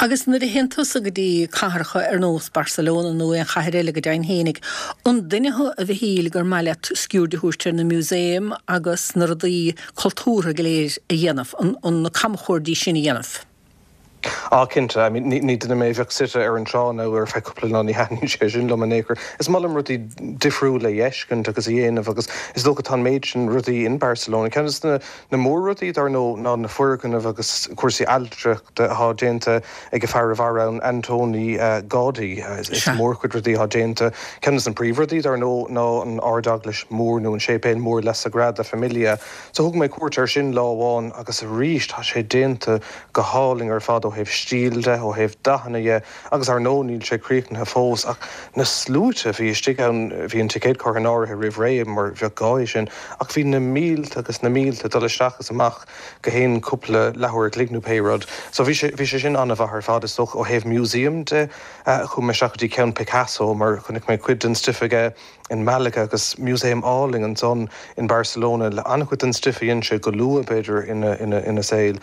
Agus nuair a théann tusa go dtí cathracha ar nós Barcelona nó aon chathair eile go deimhin fhéinig, an duine thú a Mhichíl gur maith leat sciuird a thabhairt ar na museum agus na rudaí cultúrtha go léir a dhéanamh, an na camchuairdí sin a dhéanamh? Á, cinnte. I mean, ní duine mé a bheadh suite ar an trá nó ar feadh cúpla lá, ní thaitníonn sé sin liom in aon chor. Is maith liom rudaí difriúla a fheiscint agus a dhéanamh agus is dócha tá an méid sin rudaí in Barcelona. Ceann de na Na mór-rudaí, dar ndóigh, ná na foirgnimh agus cúrsaí ailtireachta atá déanta ag an fear a mhair ann, Antoni Gaudí. Is mórchuid rudaí atá déanta. Ceann de na príomhrudaí, dar ndóigh, ná an Ardeaglais Mhór nó an Séipéal Mór La Sagrada Familia. So thug mé cuairt air sin lá amháin agus arís tá sé déanta go hálainn ar fad ó thaobh stíl de, ó thaobh dathanna dhe. Agus ar ndóigh níl sé críochnaithe fós, ach na sluaite a bhí istigh ann, bhí an ticéad curtha in áirithe roimh ré mar bheadh gá é sin, ach bhí na mílte agus na mílte ag dul isteach is amach go haon cúpla leathuair a chloig nó pé rud. So bhí sé, bhí sé sin an-mhaith ar fad is dócha. Ó thaobh museum de, chuaigh mé isteach go dtí ceann Picasso mar chonaic mé cuid den stuif aige in Malaga agus museum álainn ansan in Barcelona le an-chuid den stuif a dhein sé go luath b'fhéidir ina ina saol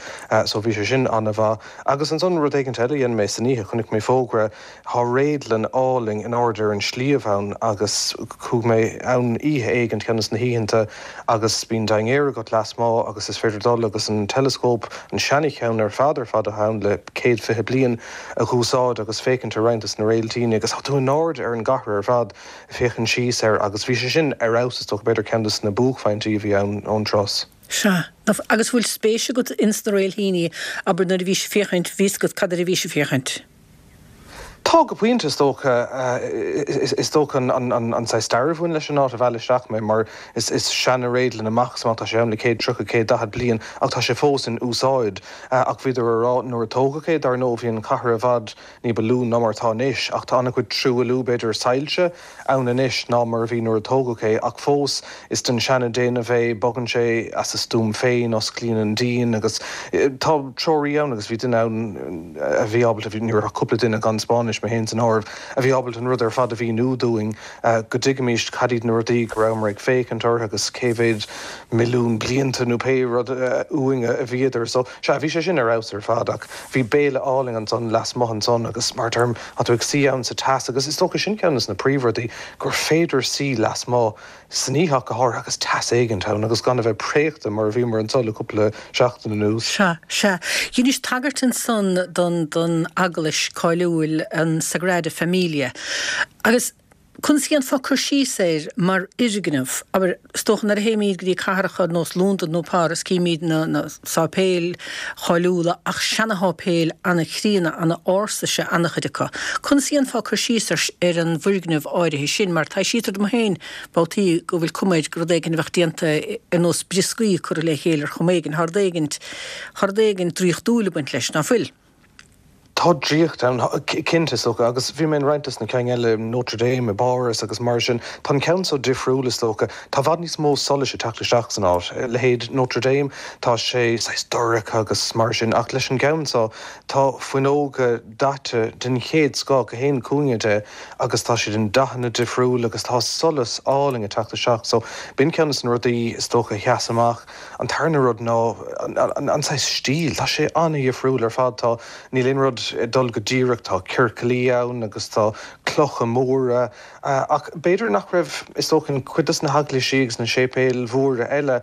so bhí sé sin an-mhaith. Agus ansan rud éigint eile a dhein mé san oíche, chonaic mé fógra, thá réadlann álainn in airde ar an sliabh ann agus chuaigh mé ann oíche éigint, ceann des na hoícheanta agus bíonn dinnéar agat lasmuigh agus is féidir dul agus an teileascóp, an seana-cheann ar fad ar fad atá ann le 120 bliain, a dh'úsáid agus féachaint ar roinnt des na réiltíní agus tá tú in airde ar an gcathair ar fad. féachaint síos air agus bhí sé sin ar fheabhas is dócha, b'fhéidir ceann des na buaicphointí a bhí ann ón turas. Sea. Agus bhfuil spéis agat ins na réilthíní, abair nuair a bhís ag féachaint, bhí 'fhios agat cad air a bhís ag féachaint? Tá, go pointe is dócha. Is dócha an saghas stair a bhain leis an áit a mheall isteach mé mar is seana-réadlann amach is amach, tá sé ann le 130, 140 bliain ach tá sé fós in úsáid. Ach bhíodar a rá nuair a tógadh é, dar ndóigh, bhí an chathair i bhfad ní ba lú ná mar atá anois, ach tá an-chuid truailliú, b'fhéidir soilse, ann anois ná mar a bhí nuair a tógadh é, ach fós is den seana-déanamh é, bogann sé as a stuaim féin, osclaíonn an díon agus tá treoraí ann agus bhí duine ann a bhí ábalta, bhí, ní raibh ach cúpla duine gan Spáinnis, mé féin san áireamh, a bhí ábalta an rud ar fad a mhíniú dúinn go dtuigfimís cad iad na rudaí go rabhamar ag féachaint orthu agus cé mhéad milliún blianta nó pé rud uainn a bhíodar. So, sea, bhí sé sin ar fheabhas ar fad ach bhí béile álainn ansan lasmuigh ansan agus mar a deirim, tá tú ag suí ann sa teas agus is dócha sin ceann des na príomhrudaí, gur féidir suí lasmuigh. san oíche ach go háirithe agus teas éigint ann agus gan a bheith préachta mar a bhíomar anso le cúpla seachtain anuas. Sea, sea. Dheinis tagairt ansan don, don eaglais cáiliúil, an Sagrada Familia. Agus conas a dhéanfá cur síos air mar fhoirgneamh? Abair, is dócha nuair a théimid go dtí cathracha ar nós Londain nó Páras címid na, na sáipéil cháiliúla ach seana-sháipéil ana-chríonna, ana-ársa is ea ana-chuid acu. Conas a dhéanfá cur síos ar, ar an bhfoirgneamh áirithe sin? Mar taibhsítear dom féin babhtaí go bhfuil cuma air gur rud éigin a bheadh déanta ar nós brioscaí curtha le chéile ar chuma éigin. Tá rud éigin, tá rud éigin draíochtúil ag baint leis, ná fuil? Tá draíocht ann, cinnte, is dócha, agus bhí mé in roinnt dos na cinn eile, Notre Dame i bPáras agus mar sin. Tá an ceann seo difriúil, is dócha. Tá i bhfad níos mó solais ag teacht isteach san áit. Leithéid Notre Dame, tá sé saghas dorcha agus mar sin, ach leis an gceann seo, tá fuinneoga daite den chéad scoth gach aon chúinne de agus tá siad i ndathanna difriúla agus tá solas álainn ag teacht isteach. So, b'in ceann des na rudaí, is dócha, a sheas amach. An tarna rud ná an saghas stíl, tá sé an-dhifriúil ar fad, tá, níl aon rud ag dul go díreach, tá ciorcalaí ann agus tá clocha móra, ach b'fhéidir nach raibh, is dócha, in cuid des na heaglaisí agus na séipéil mhóra eile,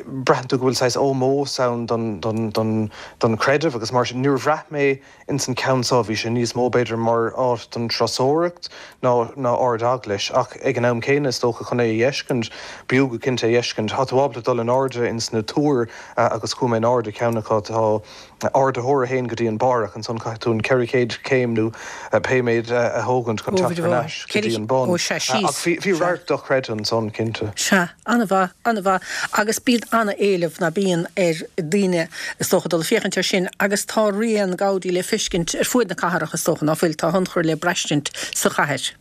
braitheann tú go bhfuil saghas ómós ann don, don, don, don chreideamh agus mar sin. Níor bhraith mé Ins an ceann seo bhí sé níos mó b'fhéidir mar áit don turasóireacht ná ná ard-eaglais ach ag an am céanna is dócha chun é a dh'fheiscint, b'fhiú go cinnte é a dh'fheiscint. Tá tú ábalta dul in airde ins na túir agus chuaigh mé in airde ceann acu, tá ardaitheoir a théann go dtí an barr ach ansan caithfidh tú an 400 céim nó pé méid a thógaint chun teacht thar n-ais go dtí an bun. Ach bhí radharc dochreidte ansan cinnte. Sea. An-mhaith, an-mhaith. Agus bíonn an-éileamh, ná bíonn, ar daoine, is dócha, dul ag féachaint air sin agus tá rian Gaudí le feiscint ar fuaid na cathrach, is dócha, ná fuil? Tá a thionchar le braistint sa chathair.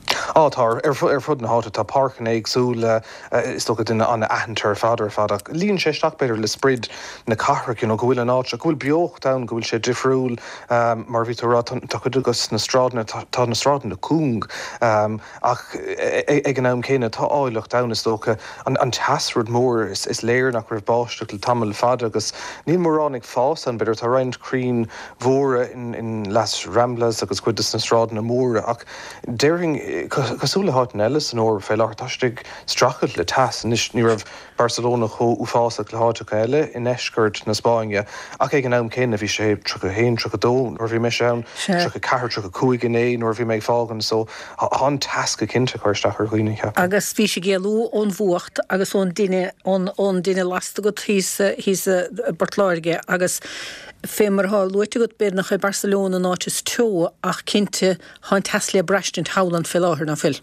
Á, tá, ar fud na háite. Tá páirceanna éagsúla, is dócha, duine an-aitheanta ar fad, ar fad. Ach luíonn sé isteach, b'fhéidir, le sprid na cathrach, you know, go bhfuil an áit seo, go bhfuil beocht ann, go bhfuil sé difriúil. Mar a bhí tú a rá, tá cuid de na sráideanna, tá na sráideanna cúng. Ach ag an am céanna, tá áilleacht ann, is dócha. An teas, rud mór. Is léir nach raibh báisteach le tamall fada agus níl mórán ag fás ann, b'fhéidir. Tá roinnt crainn mhóra in Las Ramblas agus cuid de na sráideanna móra ach déarfainn, cosúil le háiteanna eile san Eoraip fé láthair, tá siad ag streachailt le teas. Anois, ní raibh Barcelona chomh uafásach le háiteacha eile i ndeisceart na Spáinne, ach ag an am céanna bhí sé 31, 32 nuair a bhí mise ann, 34, 35 inné nuair a bhí mé ag fágaint, so tá an teas go cinnte ag cur isteach ar dhaoine, cheapfainn. Agus bhís ag éalú ón bhfuacht agus ón dtine, ón dtine lasta agat thíos, thíos i bPort Láirge agus fé mar atá luaite agat, b'fhéidir nach é Barcelona an áit is teo ach cinnte tá an teas le braistint thall ann fé láthair, ná fuil?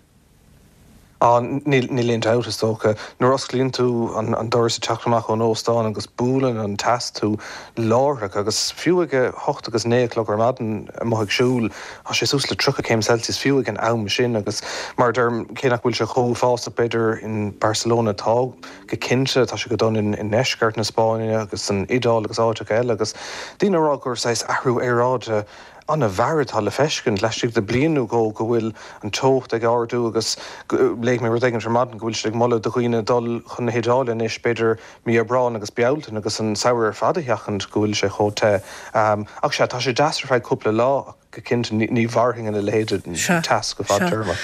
Á, níl, níl aon dabht, is dócha. Nuair a osclaíonn tú an doras ag teacht amach ón óstán agus buaileann an teas tú láithreach agus fiú ag a hocht agus naoi a chlog ar maidin amuigh ag siúl, tá sé suas le 30 céim Celsius fiú ag an am sin agus mar a deirim, cé nach bhfuil sé chomh uafásach b'fhéidir in Barcelona, tá go cinnte, tá sé go dona i ndeisceart na Spáinne agus san Iodáil agus áiteacha eile agus daoine ag rá gur saghas athrú aeráide an-mhear atá le feiscint laistigh de bliain nó dhó go bhfuil an teocht ag ardú agus léigh mé rud éigin ar maidin go bhfuil siad ag moladh do dhaoine dul chun na hIodáile anois b'fhéidir mí Aibreáin agus Bealtaine agus an samhradh ar fad a sheachaint go bhfuil sé chomh te. Ach sea, tá sé deas ar feadh cúpla lá ach go cinnte ní mhairfinn ina leithéid de teas go fadtéarmach.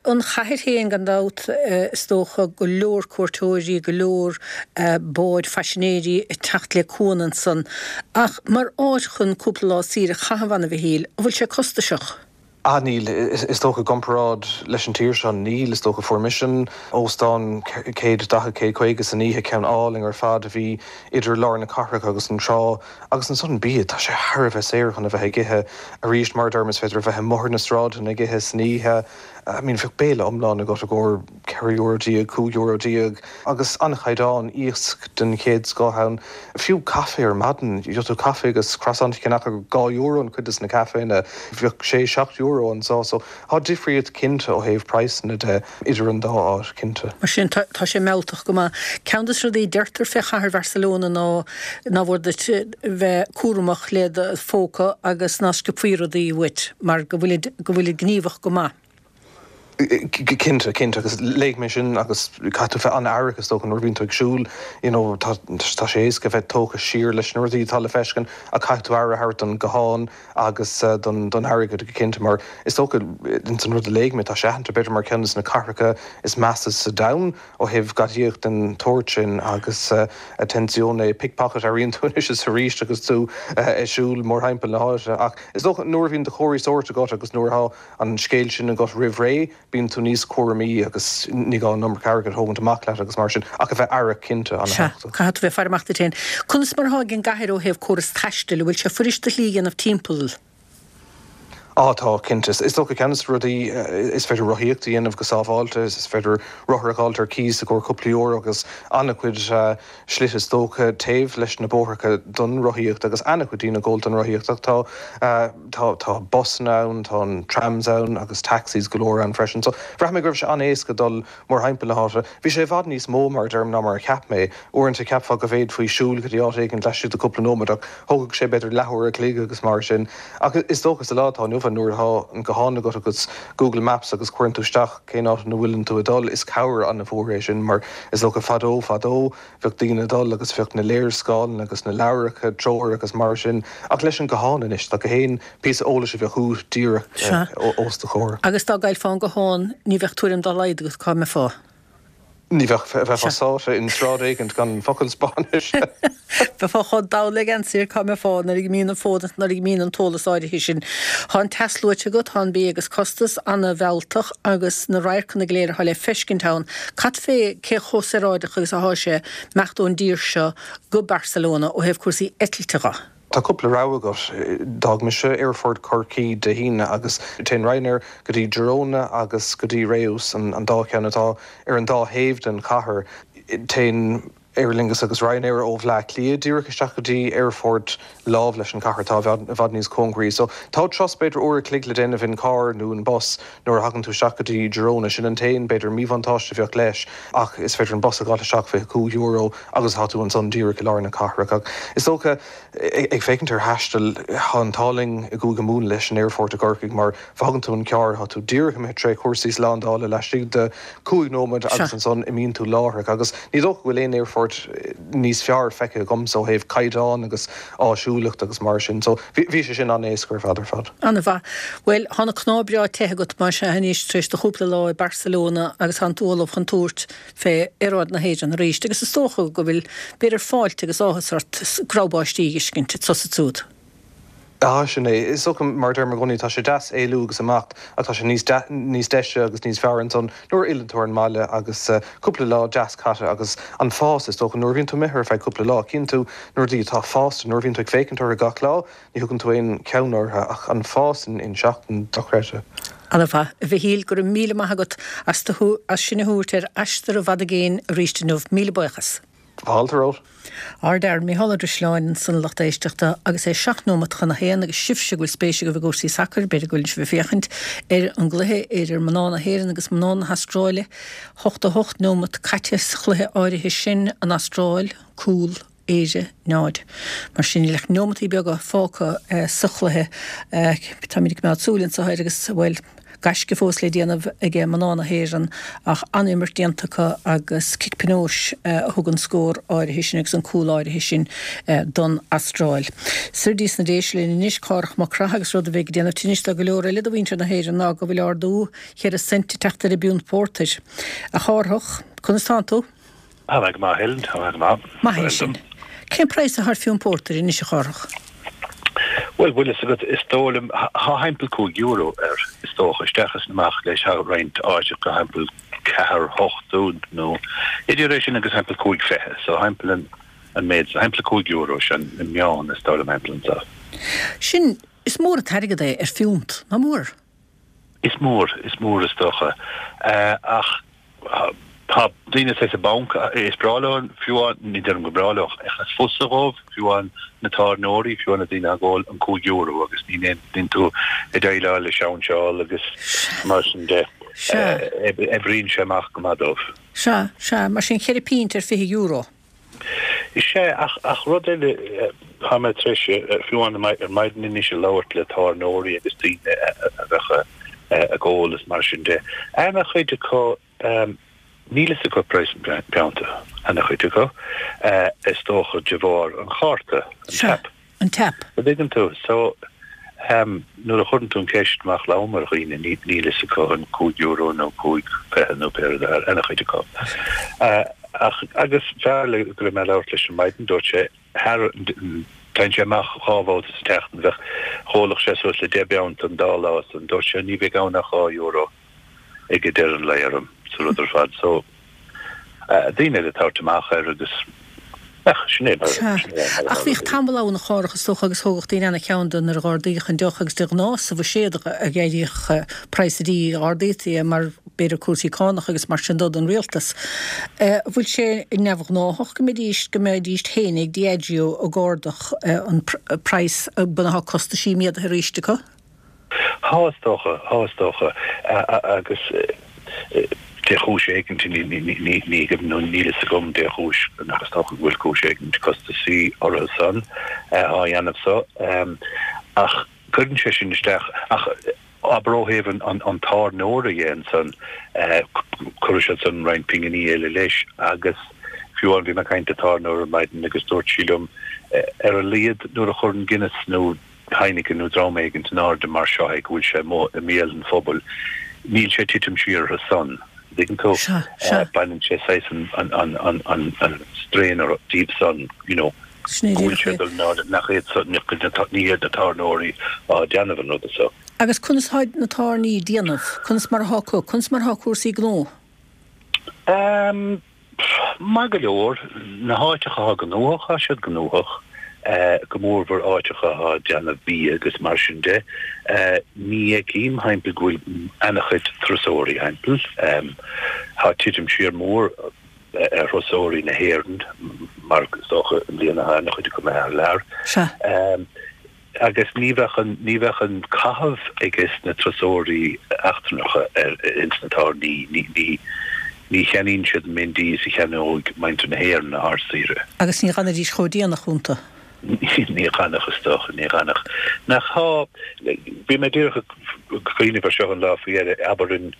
An chathair féin, gan dabht, is dócha, go leor cuairteoirí, go leor báid phaisinéirí ag teacht le cuan ansan. Ach mar áit chun cúpla lá saoire a chaitheamh ann, a Mhichíl, an bhfuil sé costasach? Ah níl, is dócha i gcomparáid leis an tír seo, níl. Is dócha fuair mise an óstán 140, 150 san oíche, ceann álainn ar fad a bhí idir lár na cathrach agus an trá. Agus ansan bia, tá sé thar a bheith saor chun a bheith ag ithe. Arís, mar a deirim, is féidir a bheith amuigh ar na sráideanna ag ithe san oíche. I mean, bheadh béile iomlán agat i gcomhair €14, €15 agus an-chaighdeán, iasc den chéad scoth ann. Fiú caife ar maidin, gheobhaidh tú caife agus croissant a cheannach ar €2 in cuid de na caiféanna, bheadh sé, €7 anso. So, tá difríocht cinnte ó thaobh praghsanna de. idir an dá áit, cinnte. Mar sin, tá sé mealltach go maith. Ceann de na rudaí a deirtear fé chathair Bharcelona ná nár mhór duit bheith cúramach le do phóca agus ná sciobfaí rudaí uait mar go bhfuilid, go bhfuilid gníomhach go maith. Cinnte, cinnte, agus léigh mé sin agus caithfidh tú bheith an-aireach is dócha nuair a bhíonn tú ag siúl, you know, tá tá sé éasca bheith tógtha siar leis na rudaí atá le feiscint ach caithfidh tú aire a thabhairt don guthán agus don don airgead go cinnte mar is dócha ins an rud a léigh mé tá sé aitheanta b'fhéidir mar ceann de na cathracha is measa sa domhan ó thaobh gadaíocht den tsórt sin agus attenzione pickpocket airíonn tú anois is arís agus tú ag siúl mórthimpeall na háite ach is dócha nuair a bhíonn do chomharthaí sóirt agat agus nuair atá an scéal sin agat roimh ré, bíonn tú níos cúramaí agus ní gá an iomarca airgid a thógaint amach leat agus mar sin, ach a bheith aireach cinnte, Sea, an-tábhachtach. caithfidh tú bheith ag faire amach duit féin. Conas mar atá ag an gcathair ó thaobh córas taistil, an bhfuil sé fuirist do shlí a dhéanamh timpeall? Á tá, cinnte. Is dócha ceann de na rudaí, is féidir rothaíocht a dhéanamh go sábháilte, is féidir rothar a dh'fháilt ar cíos i gcomhair cúpla euro agus an-chuid slite is dócha taobh leis na bóithreacha don rothaíocht agus an-chuid daoine ag gabháil don rothaíocht ach tá tá tá busanna ann, tá an trams ann agus taxis go leor ann freisin. So bhraith mé go raibh sé an-éasca dul mórthimpeall na háite. Bhí sé i bhfad níos mó mar a deirim ná mar a cheap mé. Uaireanta cheapfá go bhféadfaí siúl go dtí áit éigin laistigh de cúpla nóiméad ach thógfadh sé b'fhéidir leathuair a chloig agus mar sin. Ach is dócha sa lá atá inniu ann nuair atá an guthán agat agus Google Maps agus cuireann tú isteach cén áit ina bhfuileann tú ag dul, is cabhair an-mhór é sin mar is dócha fadó fadó bheadh daoine ag dul agus bheadh na léarscáileanna agus na leabhracha treorach agus mar sin ach leis an guthán anois tá gach aon píosa eolais a bheadh uait díreach os do chomhair. Agus dá gcaillfeá an guthán ní bheadh tuairim dá laghad agat cá mbeifeá. Ní bheadh, bheifeá sáite in sráid éigint gan focal Spáinnis. Bheifeá chomh dall le geansaí ar cá mbeifeá nuair a imíonn an fón is nuair a imíonn an t-eolas áirithe sin. Tá an teas luaite agat, tá an bia agus costas ana-mhealltach agus na radharcanna go léir atá le feiscint ann. Cad fé cé chomh saoráideach agus athá sé imeacht ón dtír seo go Barcelona ó thaobh cúrsaí eitilte dho? Tá cúpla rogha agat. D'fhág mise Aerfort Chorcaí Dé hAoine agus téann Ryanair go dtí Girona agus go dtí Reus, an dá cheann atá ar an dá thaobh den chathair. Téann Aer Lingus agus Ryanair ó Bhleá Cliath díreach isteach go dtí aerfort lámh leis an chathair atá i bhfad níos cóngaraí. So tá turas b'fhéidir uair a chloig le déanamh in carr nó in bus nuair a thagann tú isteach go dtí Girona. Sin an t-aon b'fhéidir míbhuntáiste a bheadh leis ach is féidir an bus a dh'fháil isteach €25 agus tá tú ansan díreach i lár na cathrach. Ach is dócha, ag féachaint ar thaisteal, tá an t-ádh linn i gCúige Mumhan leis an aerfort i gCorcaigh mar fágann tú an carr, tá tú díreach imithe tré chúrsaí slándála laistigh de chúig nóiméad agus ansan imíonn tú láithreach. Agus ní dócha go bhfuil aon aerfort níos fearr feicthe agamsa ó thaobh caighdeán agus áisiúlacht agus mar sin. So bhí sé sin an-éasca ar fad ar fad. An-mhaith. Bhuel, tá na cnámha breá te agat más ea anois tar éis do chúpla lá i Barcelona agus tánn tú ullamh chun tabhairt fé aeráid na hÉireann arís, agus is dócha go bhfuil, b'fhéidir, fáilte agus áthas ort screamh báistí a dh'fheiscint anso is ansúd. Ah, sin é. Is dócha, mar a deirim i gcónaí, tá sé deas éalú agus imeacht, ach tá sé níos níos deise agus níos fearr ansan nuair a fhilleann tú ar an mbaile agus cúpla lá deas caite agus an fás, is dócha, nuair a bhíonn tú imithe ar feadh cúpla lá, cíonn tú na rudaí atá fásta, nuair a bhíonn tú ag féachaint orthu gach lá, Ní thugann tú aon cheann orthu ach an fás in seachtain, dochreidte. Ana-mhaith. A Mhichíl, go raibh míle maith agat as do, as sinn a thabhairt ar aistear i bhfad i gcéin arís inniu. Míle buíochas. Fáilte romhat. Ár bhfear, Mícheál Ó Drisleáin, ansan a lucht éisteachta agus é seacht nóimeat chun a haon agus sibhse go bhfuil spéis agaibh i gcúrsaí sacair, b'fhéidir go bhfuil sibh ag féachaint ar an gcluiche idir mná na hÉireann agus mná na hAstráile. 88 nóimeat caite sa chluiche áirithe sin, an Astráil, cúl. Éire 0. Mar sin, níl ach neomataí beaga fágtha sa chluiche. Táimid ag coimeád súil anso air agus, bhuel, gaisce fós le déanamh ag mná na hÉireann ach an-imirt déanta acu agus cic pionóis a thug an scór áirithe sin agus an cúl áirithe sin don Astráil. Soir dtí sna Déise linn anois, Cárthach Mac Craith agus rud a bheidh ag déanamh tinnis do go leor eile de mhuintir na hÉireann ná go bhfuil ardú cheithre cent ag teacht ar an bpiúnt pórtair. A Chárthach, conas tánn tú? Tá mé go maith, Helen, tá mé go maith. Maith é sin. Cén praghas atá ar phiúnt pórtair anois, a Chárthach? Bhuel, bhfuil fhios agat, is dóigh liom, thá thimpeall €5 air, is dócha, isteach is amach leis, thá roinnt áiteacha thimpeall ceathair ochtó nó idir é sin agus thimpeall 5.20, so thimpeall an an méid, thimpeall €5, sin an meán, is dóigh liom, thimpeall anseo. Sin, is mór an t-airgead é ar phiúnt, nach mór? Is mór, is mór is dócha. Ach tá daoine saghas i bponc, is breá leo, fiú amháin, ní deirim gur breá leo, ach is fusa dhóibh, fiú amháin na tábhairneoirí, fiú amháin na daoine ag ól an €5 agus ní bhíonn tú ag déileáil le seinseáil agus mar sin de. Oibríonn sé amach go maith dóibh. Sea, sea, mar sin cheithre phint ar €20. Sea, ach, ach rud eile, tá mé tar éis, fiú amháin ar maidin anois ag labhairt le tábhairneoirí agus daoine a bheadh. Ag ól is mar sin de. Ana chuid acu, níl fhios acu praghas an phionta, ana chuid acu, is dócha de bharr an chárta, an tap. An tap. An dtuigeann tú? So, nuair a chuireann tú an ceist amach lom ar dhaoine, níl fhios acu an €5 nó 5.20 nó pé rud é, ana chuid acu. Ach, agus fear le go raibh mé ag labhairt leis ar maidin, dúirt sé, thar, téann sé amach dhá bhabhta sa tseachtain, bheadh, dh'ólfadh sé suas le deich bpionta an dá lá san, dúirt sé, ní bheidh ann ach €2 ag deireadh an lae orm sa rud ar fad. So, daoine eile ag tabhairt amach air agus, ach sin é mar, Sea. sin é mar Ach atá bhíodh rudaí. tamall ann a Chárthach is dócha agus thógadh daoine ana-cheann de nuair a dh'ardaíodh an deoch agus de ghnáth sa bhuiséad a d'éiríodh praghas an dí, ardaítí é mar b'fhéidir cúrsaí cánach agus mar sin dó don rialtas. An bhfuil sé neamhghnáthach go mbeidís, go mbeidís féin ag Diageo ag ardach an praghas bunaithe costaisí méadaithe arís acu? Thá is dócha, thá is dócha agus de chúis éigint, ní nó níl fhios agam dé chúis ach is dócha go bhfuil cúis éigint costasaí orthu san á dhéanamh so ach cuireann sé sin isteach ach abair ó thaobh an tábhairneora dhe ansan cuirfidh siad san roinnt pinginí eile leis agus fiú amháin bhí mé ag caint le tábhairneoir ar maidin agus dúirt sí liom ar a laghad nuair a chuireann Guinness nó Heineken nó dream éigint in airde mar seo é go bhfuil sé amuigh i mbéal an phobail níl sé ag titim siar orthu san an dtuigeann tú baineann sé saghas an strain díobh san you know. Sin é go bhfuil díreach sé é. ag dul in airde, nach iad san, ní hiad na tábhairneoirí á déanamh an ruda so. Agus conas tá na tábhairní ag déanamh? Conas mar atá acu? Conas mar atá cúrsaí gnó? Ehm, maith go leor. Na háiteacha atá gnóthach, tá siad gnóthach, go mórmhór áiteacha atá ag déanamh bia agus mar sin de. Ní fheicim, thimpeall, go bhfuil ana-chuid turasóirí thimpeall. Tá titim siar mór. ar thurasóirí na hÉireann mar is dócha i mbliana tá an-chuid acu imithe thar lear. Sea. Agus ní bheadh an, ní bheadh an caitheamh ages na turasóirí eachtrannacha ar, ins na tábhairní, ní, ní, ní cheannaíonn siad an méid dí is a cheannóidh muintir na héireann ar saoire. Agus ní dh'fhanaidís chomh déanach iontu. Ní dh'fhanfadh is dócha, ní dh'fhanfadh. Nach thá, bhí mé díreach ag cuimhneamh ar seo an lá faoi dheireadh, abair in,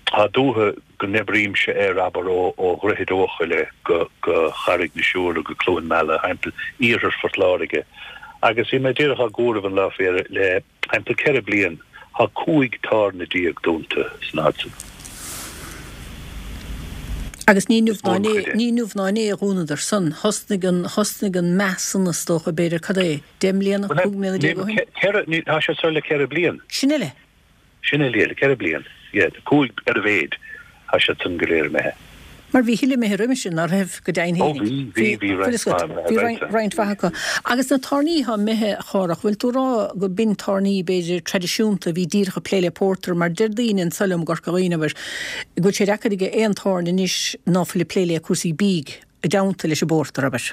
Tá dúiche go n-oibrímse air, abair, ó Dhroichead Eochaille go Carraig na Siúire go Cluain Meala, thimpeall iarthar Phort Láirge. Agus bhí mé díreach á gcomhaireamh an lá faoi dheireadh, le thimpeall 14 bliain, tá 15 tábhairne dúnta san fhad san. Agus ní inniu ná inné, ní inniu ná inné a dhúnadar san. Thosnaigh an, thosnaigh an meath san, is dócha, b'fhéidir, cad é, 10 mbliana, 15 mbliana ó shin? Ceithre, tá sé seo le ceithre bliain. Sin uile. Sin uile, le ceithre bliain, yeah, cúig ar a mhéid, tá siad san go léir imithe. Mar bhí a thuilleadh imithe roimhe sin, ná raibh, go deimhin Ó fhéinig. bhí, bhí, bhí roinnt mhaith imithe, Bhí right. roinnt mhaith acu. Agus na tábhairní atá imithe, a Chárthach, bhfuil tú ag rá go b'in tábhairní, b'fhéidir, traidisiúnta a bhí díreach ag plé le pórtar, mar deir daoine anso liom i gCorca Dhuibhne, abair, go bhfuil sé deacair ag aon tábhairne anois ná fuil ag plé le cúrsaí bídh i dteannta leis an bpórtar, abair.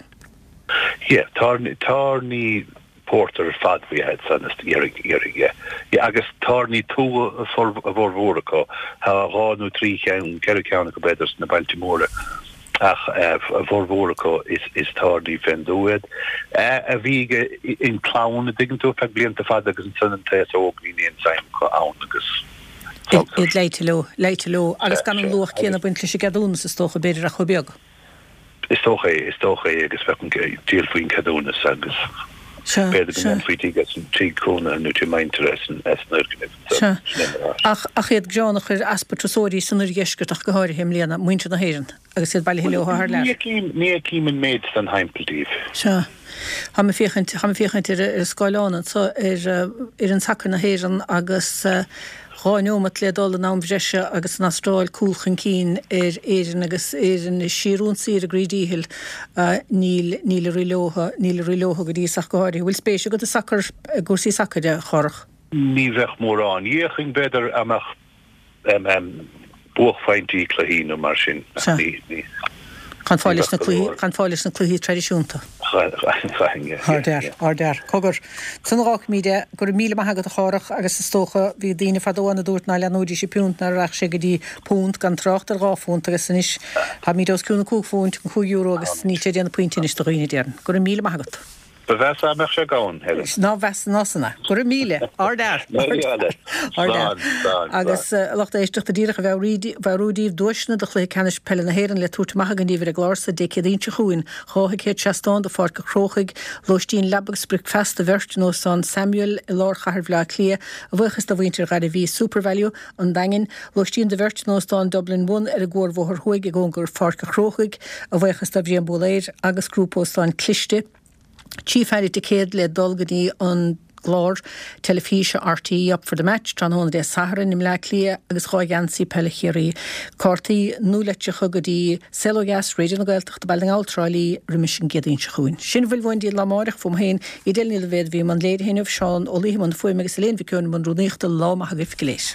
Yeah, tábhairní, tábhairní pórtair ar fad ba ea iad san is iarraidh, iarraidh, yeah. Yeah, agus tábhairní tuaithe a bhformhór acu. Tá dhá nó trí cheann, ceithre ceann acu b'fhéidir sna bailte móra ach a bhformhór acu is, is tábhairní fén dtuath iad. A bhí ag an clann, a dtuigeann tú, feadh blianta fada agus ansan an t-aos óg níl aon suim acu ann agus Iad leáite leo, leáite leo agus gan an luach céanna ag baint leis an gceadúnas is dócha, b'fhéidir ach chomh beag. Is dócha é, is dócha é agus bheadh an díol faoin ceadúnas agus Sea, b'fhéidir go sea. ndéanfaí tigh as an tigh cónaithe nó tigh muintire as an as an fhoirgneamh ansan. Sea. Sin é mar atá sé. Ach, ach iad greannach ar easpa turasóirí san oirdheisceart ach go háirithe i mbliana, muintir na hÉireann agus iad bailithe leo thar Ní lear. fheicim, ní fheicim an méid san thimpeall díobh. Sea. Táim ag féachaint, táim ag féachaint ar an scáileán anso ar fhoireann sacair na hÉireann agus dhá neomat le dul in am bhreise agus an Astráil cúl chun cinn ar Éirinn agus Éirinn ag síorionsaí ar a gcroí díchill. Níl, níl ag rith leo, níl ag rith leo go dtí is ach go háirithe. Bhfuil spéis agat i sacar, i gcúrsaí sacair, a Chárthach? Ní bheadh mórán. D'fhéachfainn, b'fhéidir, dá mbeadh buaicphointí cluichí nó mar sin. Sea. Ní, ní, Gan fáil ní leis na bheadh go cluichí, leor. gan fáil leis na cluichí traidisiúnta. Chaithfinn, yeah, Thar yeah, lear, yeah. thar lear. Cogar, san a dh'fhágfaimid é, go raibh míle maith agat a Chárthach agus is dócha, bhí daoine fadó ann a dúirt ná leanfaidís an phiúnt ná rachadh sé go dtí púnt, gan trácht ar dhá phúnt agus anois táimid os cionn an cúig phúint, an €5 agus níl sé ag déanamh punt anois do dhaoine, déarfainn. Go raibh míle maith agat. Ba mheasa dá mbeadh sé gann, Helen. Ná mheasa ná san é. Go raibh míle. Ardfhear. Ardfhear. Slán, slán. Agus a lucht éisteachta, díreach a mheabhrú daoibh, duaiseanna do Chluiche Ceannais Peile na hÉireann le tabhairt amach againn daoibh ar an gclár so Dé Céadaoin seo chugainn. 2 thicéad seastáin do Pháirc an Chrócaigh, lóistín leaba agus bricfeasta do bheirt in Óstán Samuel i lár chathair Bhaile Átha Cliath, a bhuíochas do mhuintir Ghairbhí Supervalu, an Daingin, lóistín do bheirt in Óstán Dublin One ar an gCuarbhóthar Thuaidh i gcóngar Pháirc an Chrócaigh, a bhuíochas do Bhriain Búlaeir agus Grúpa Óstán Cliste, Tchífear ticéad le dul go dtí an gclár teilifíse RTÉ Up for the Match tráthnóna Dé Sathairn i mBleá Cliath agus 2 gheansaí peile Chiarraí, cártaí nualeitreacha go dtí Saol Ó Dheas, Raidió na Gaeltachta, Baile na nGall, Trá Lí, roimis an gCéadaoin seo chugainn. Sin a bhfuil uainn daoibh lá amáireach, fúm féin, Edel Ní Loibhéad a bhí i mbun léirithe inniu, Seán Ó Laoithe i mbun fuaime agus Elaine Mhic Eoin i mbun rúnaíochta. Lá maith agaibh go léir.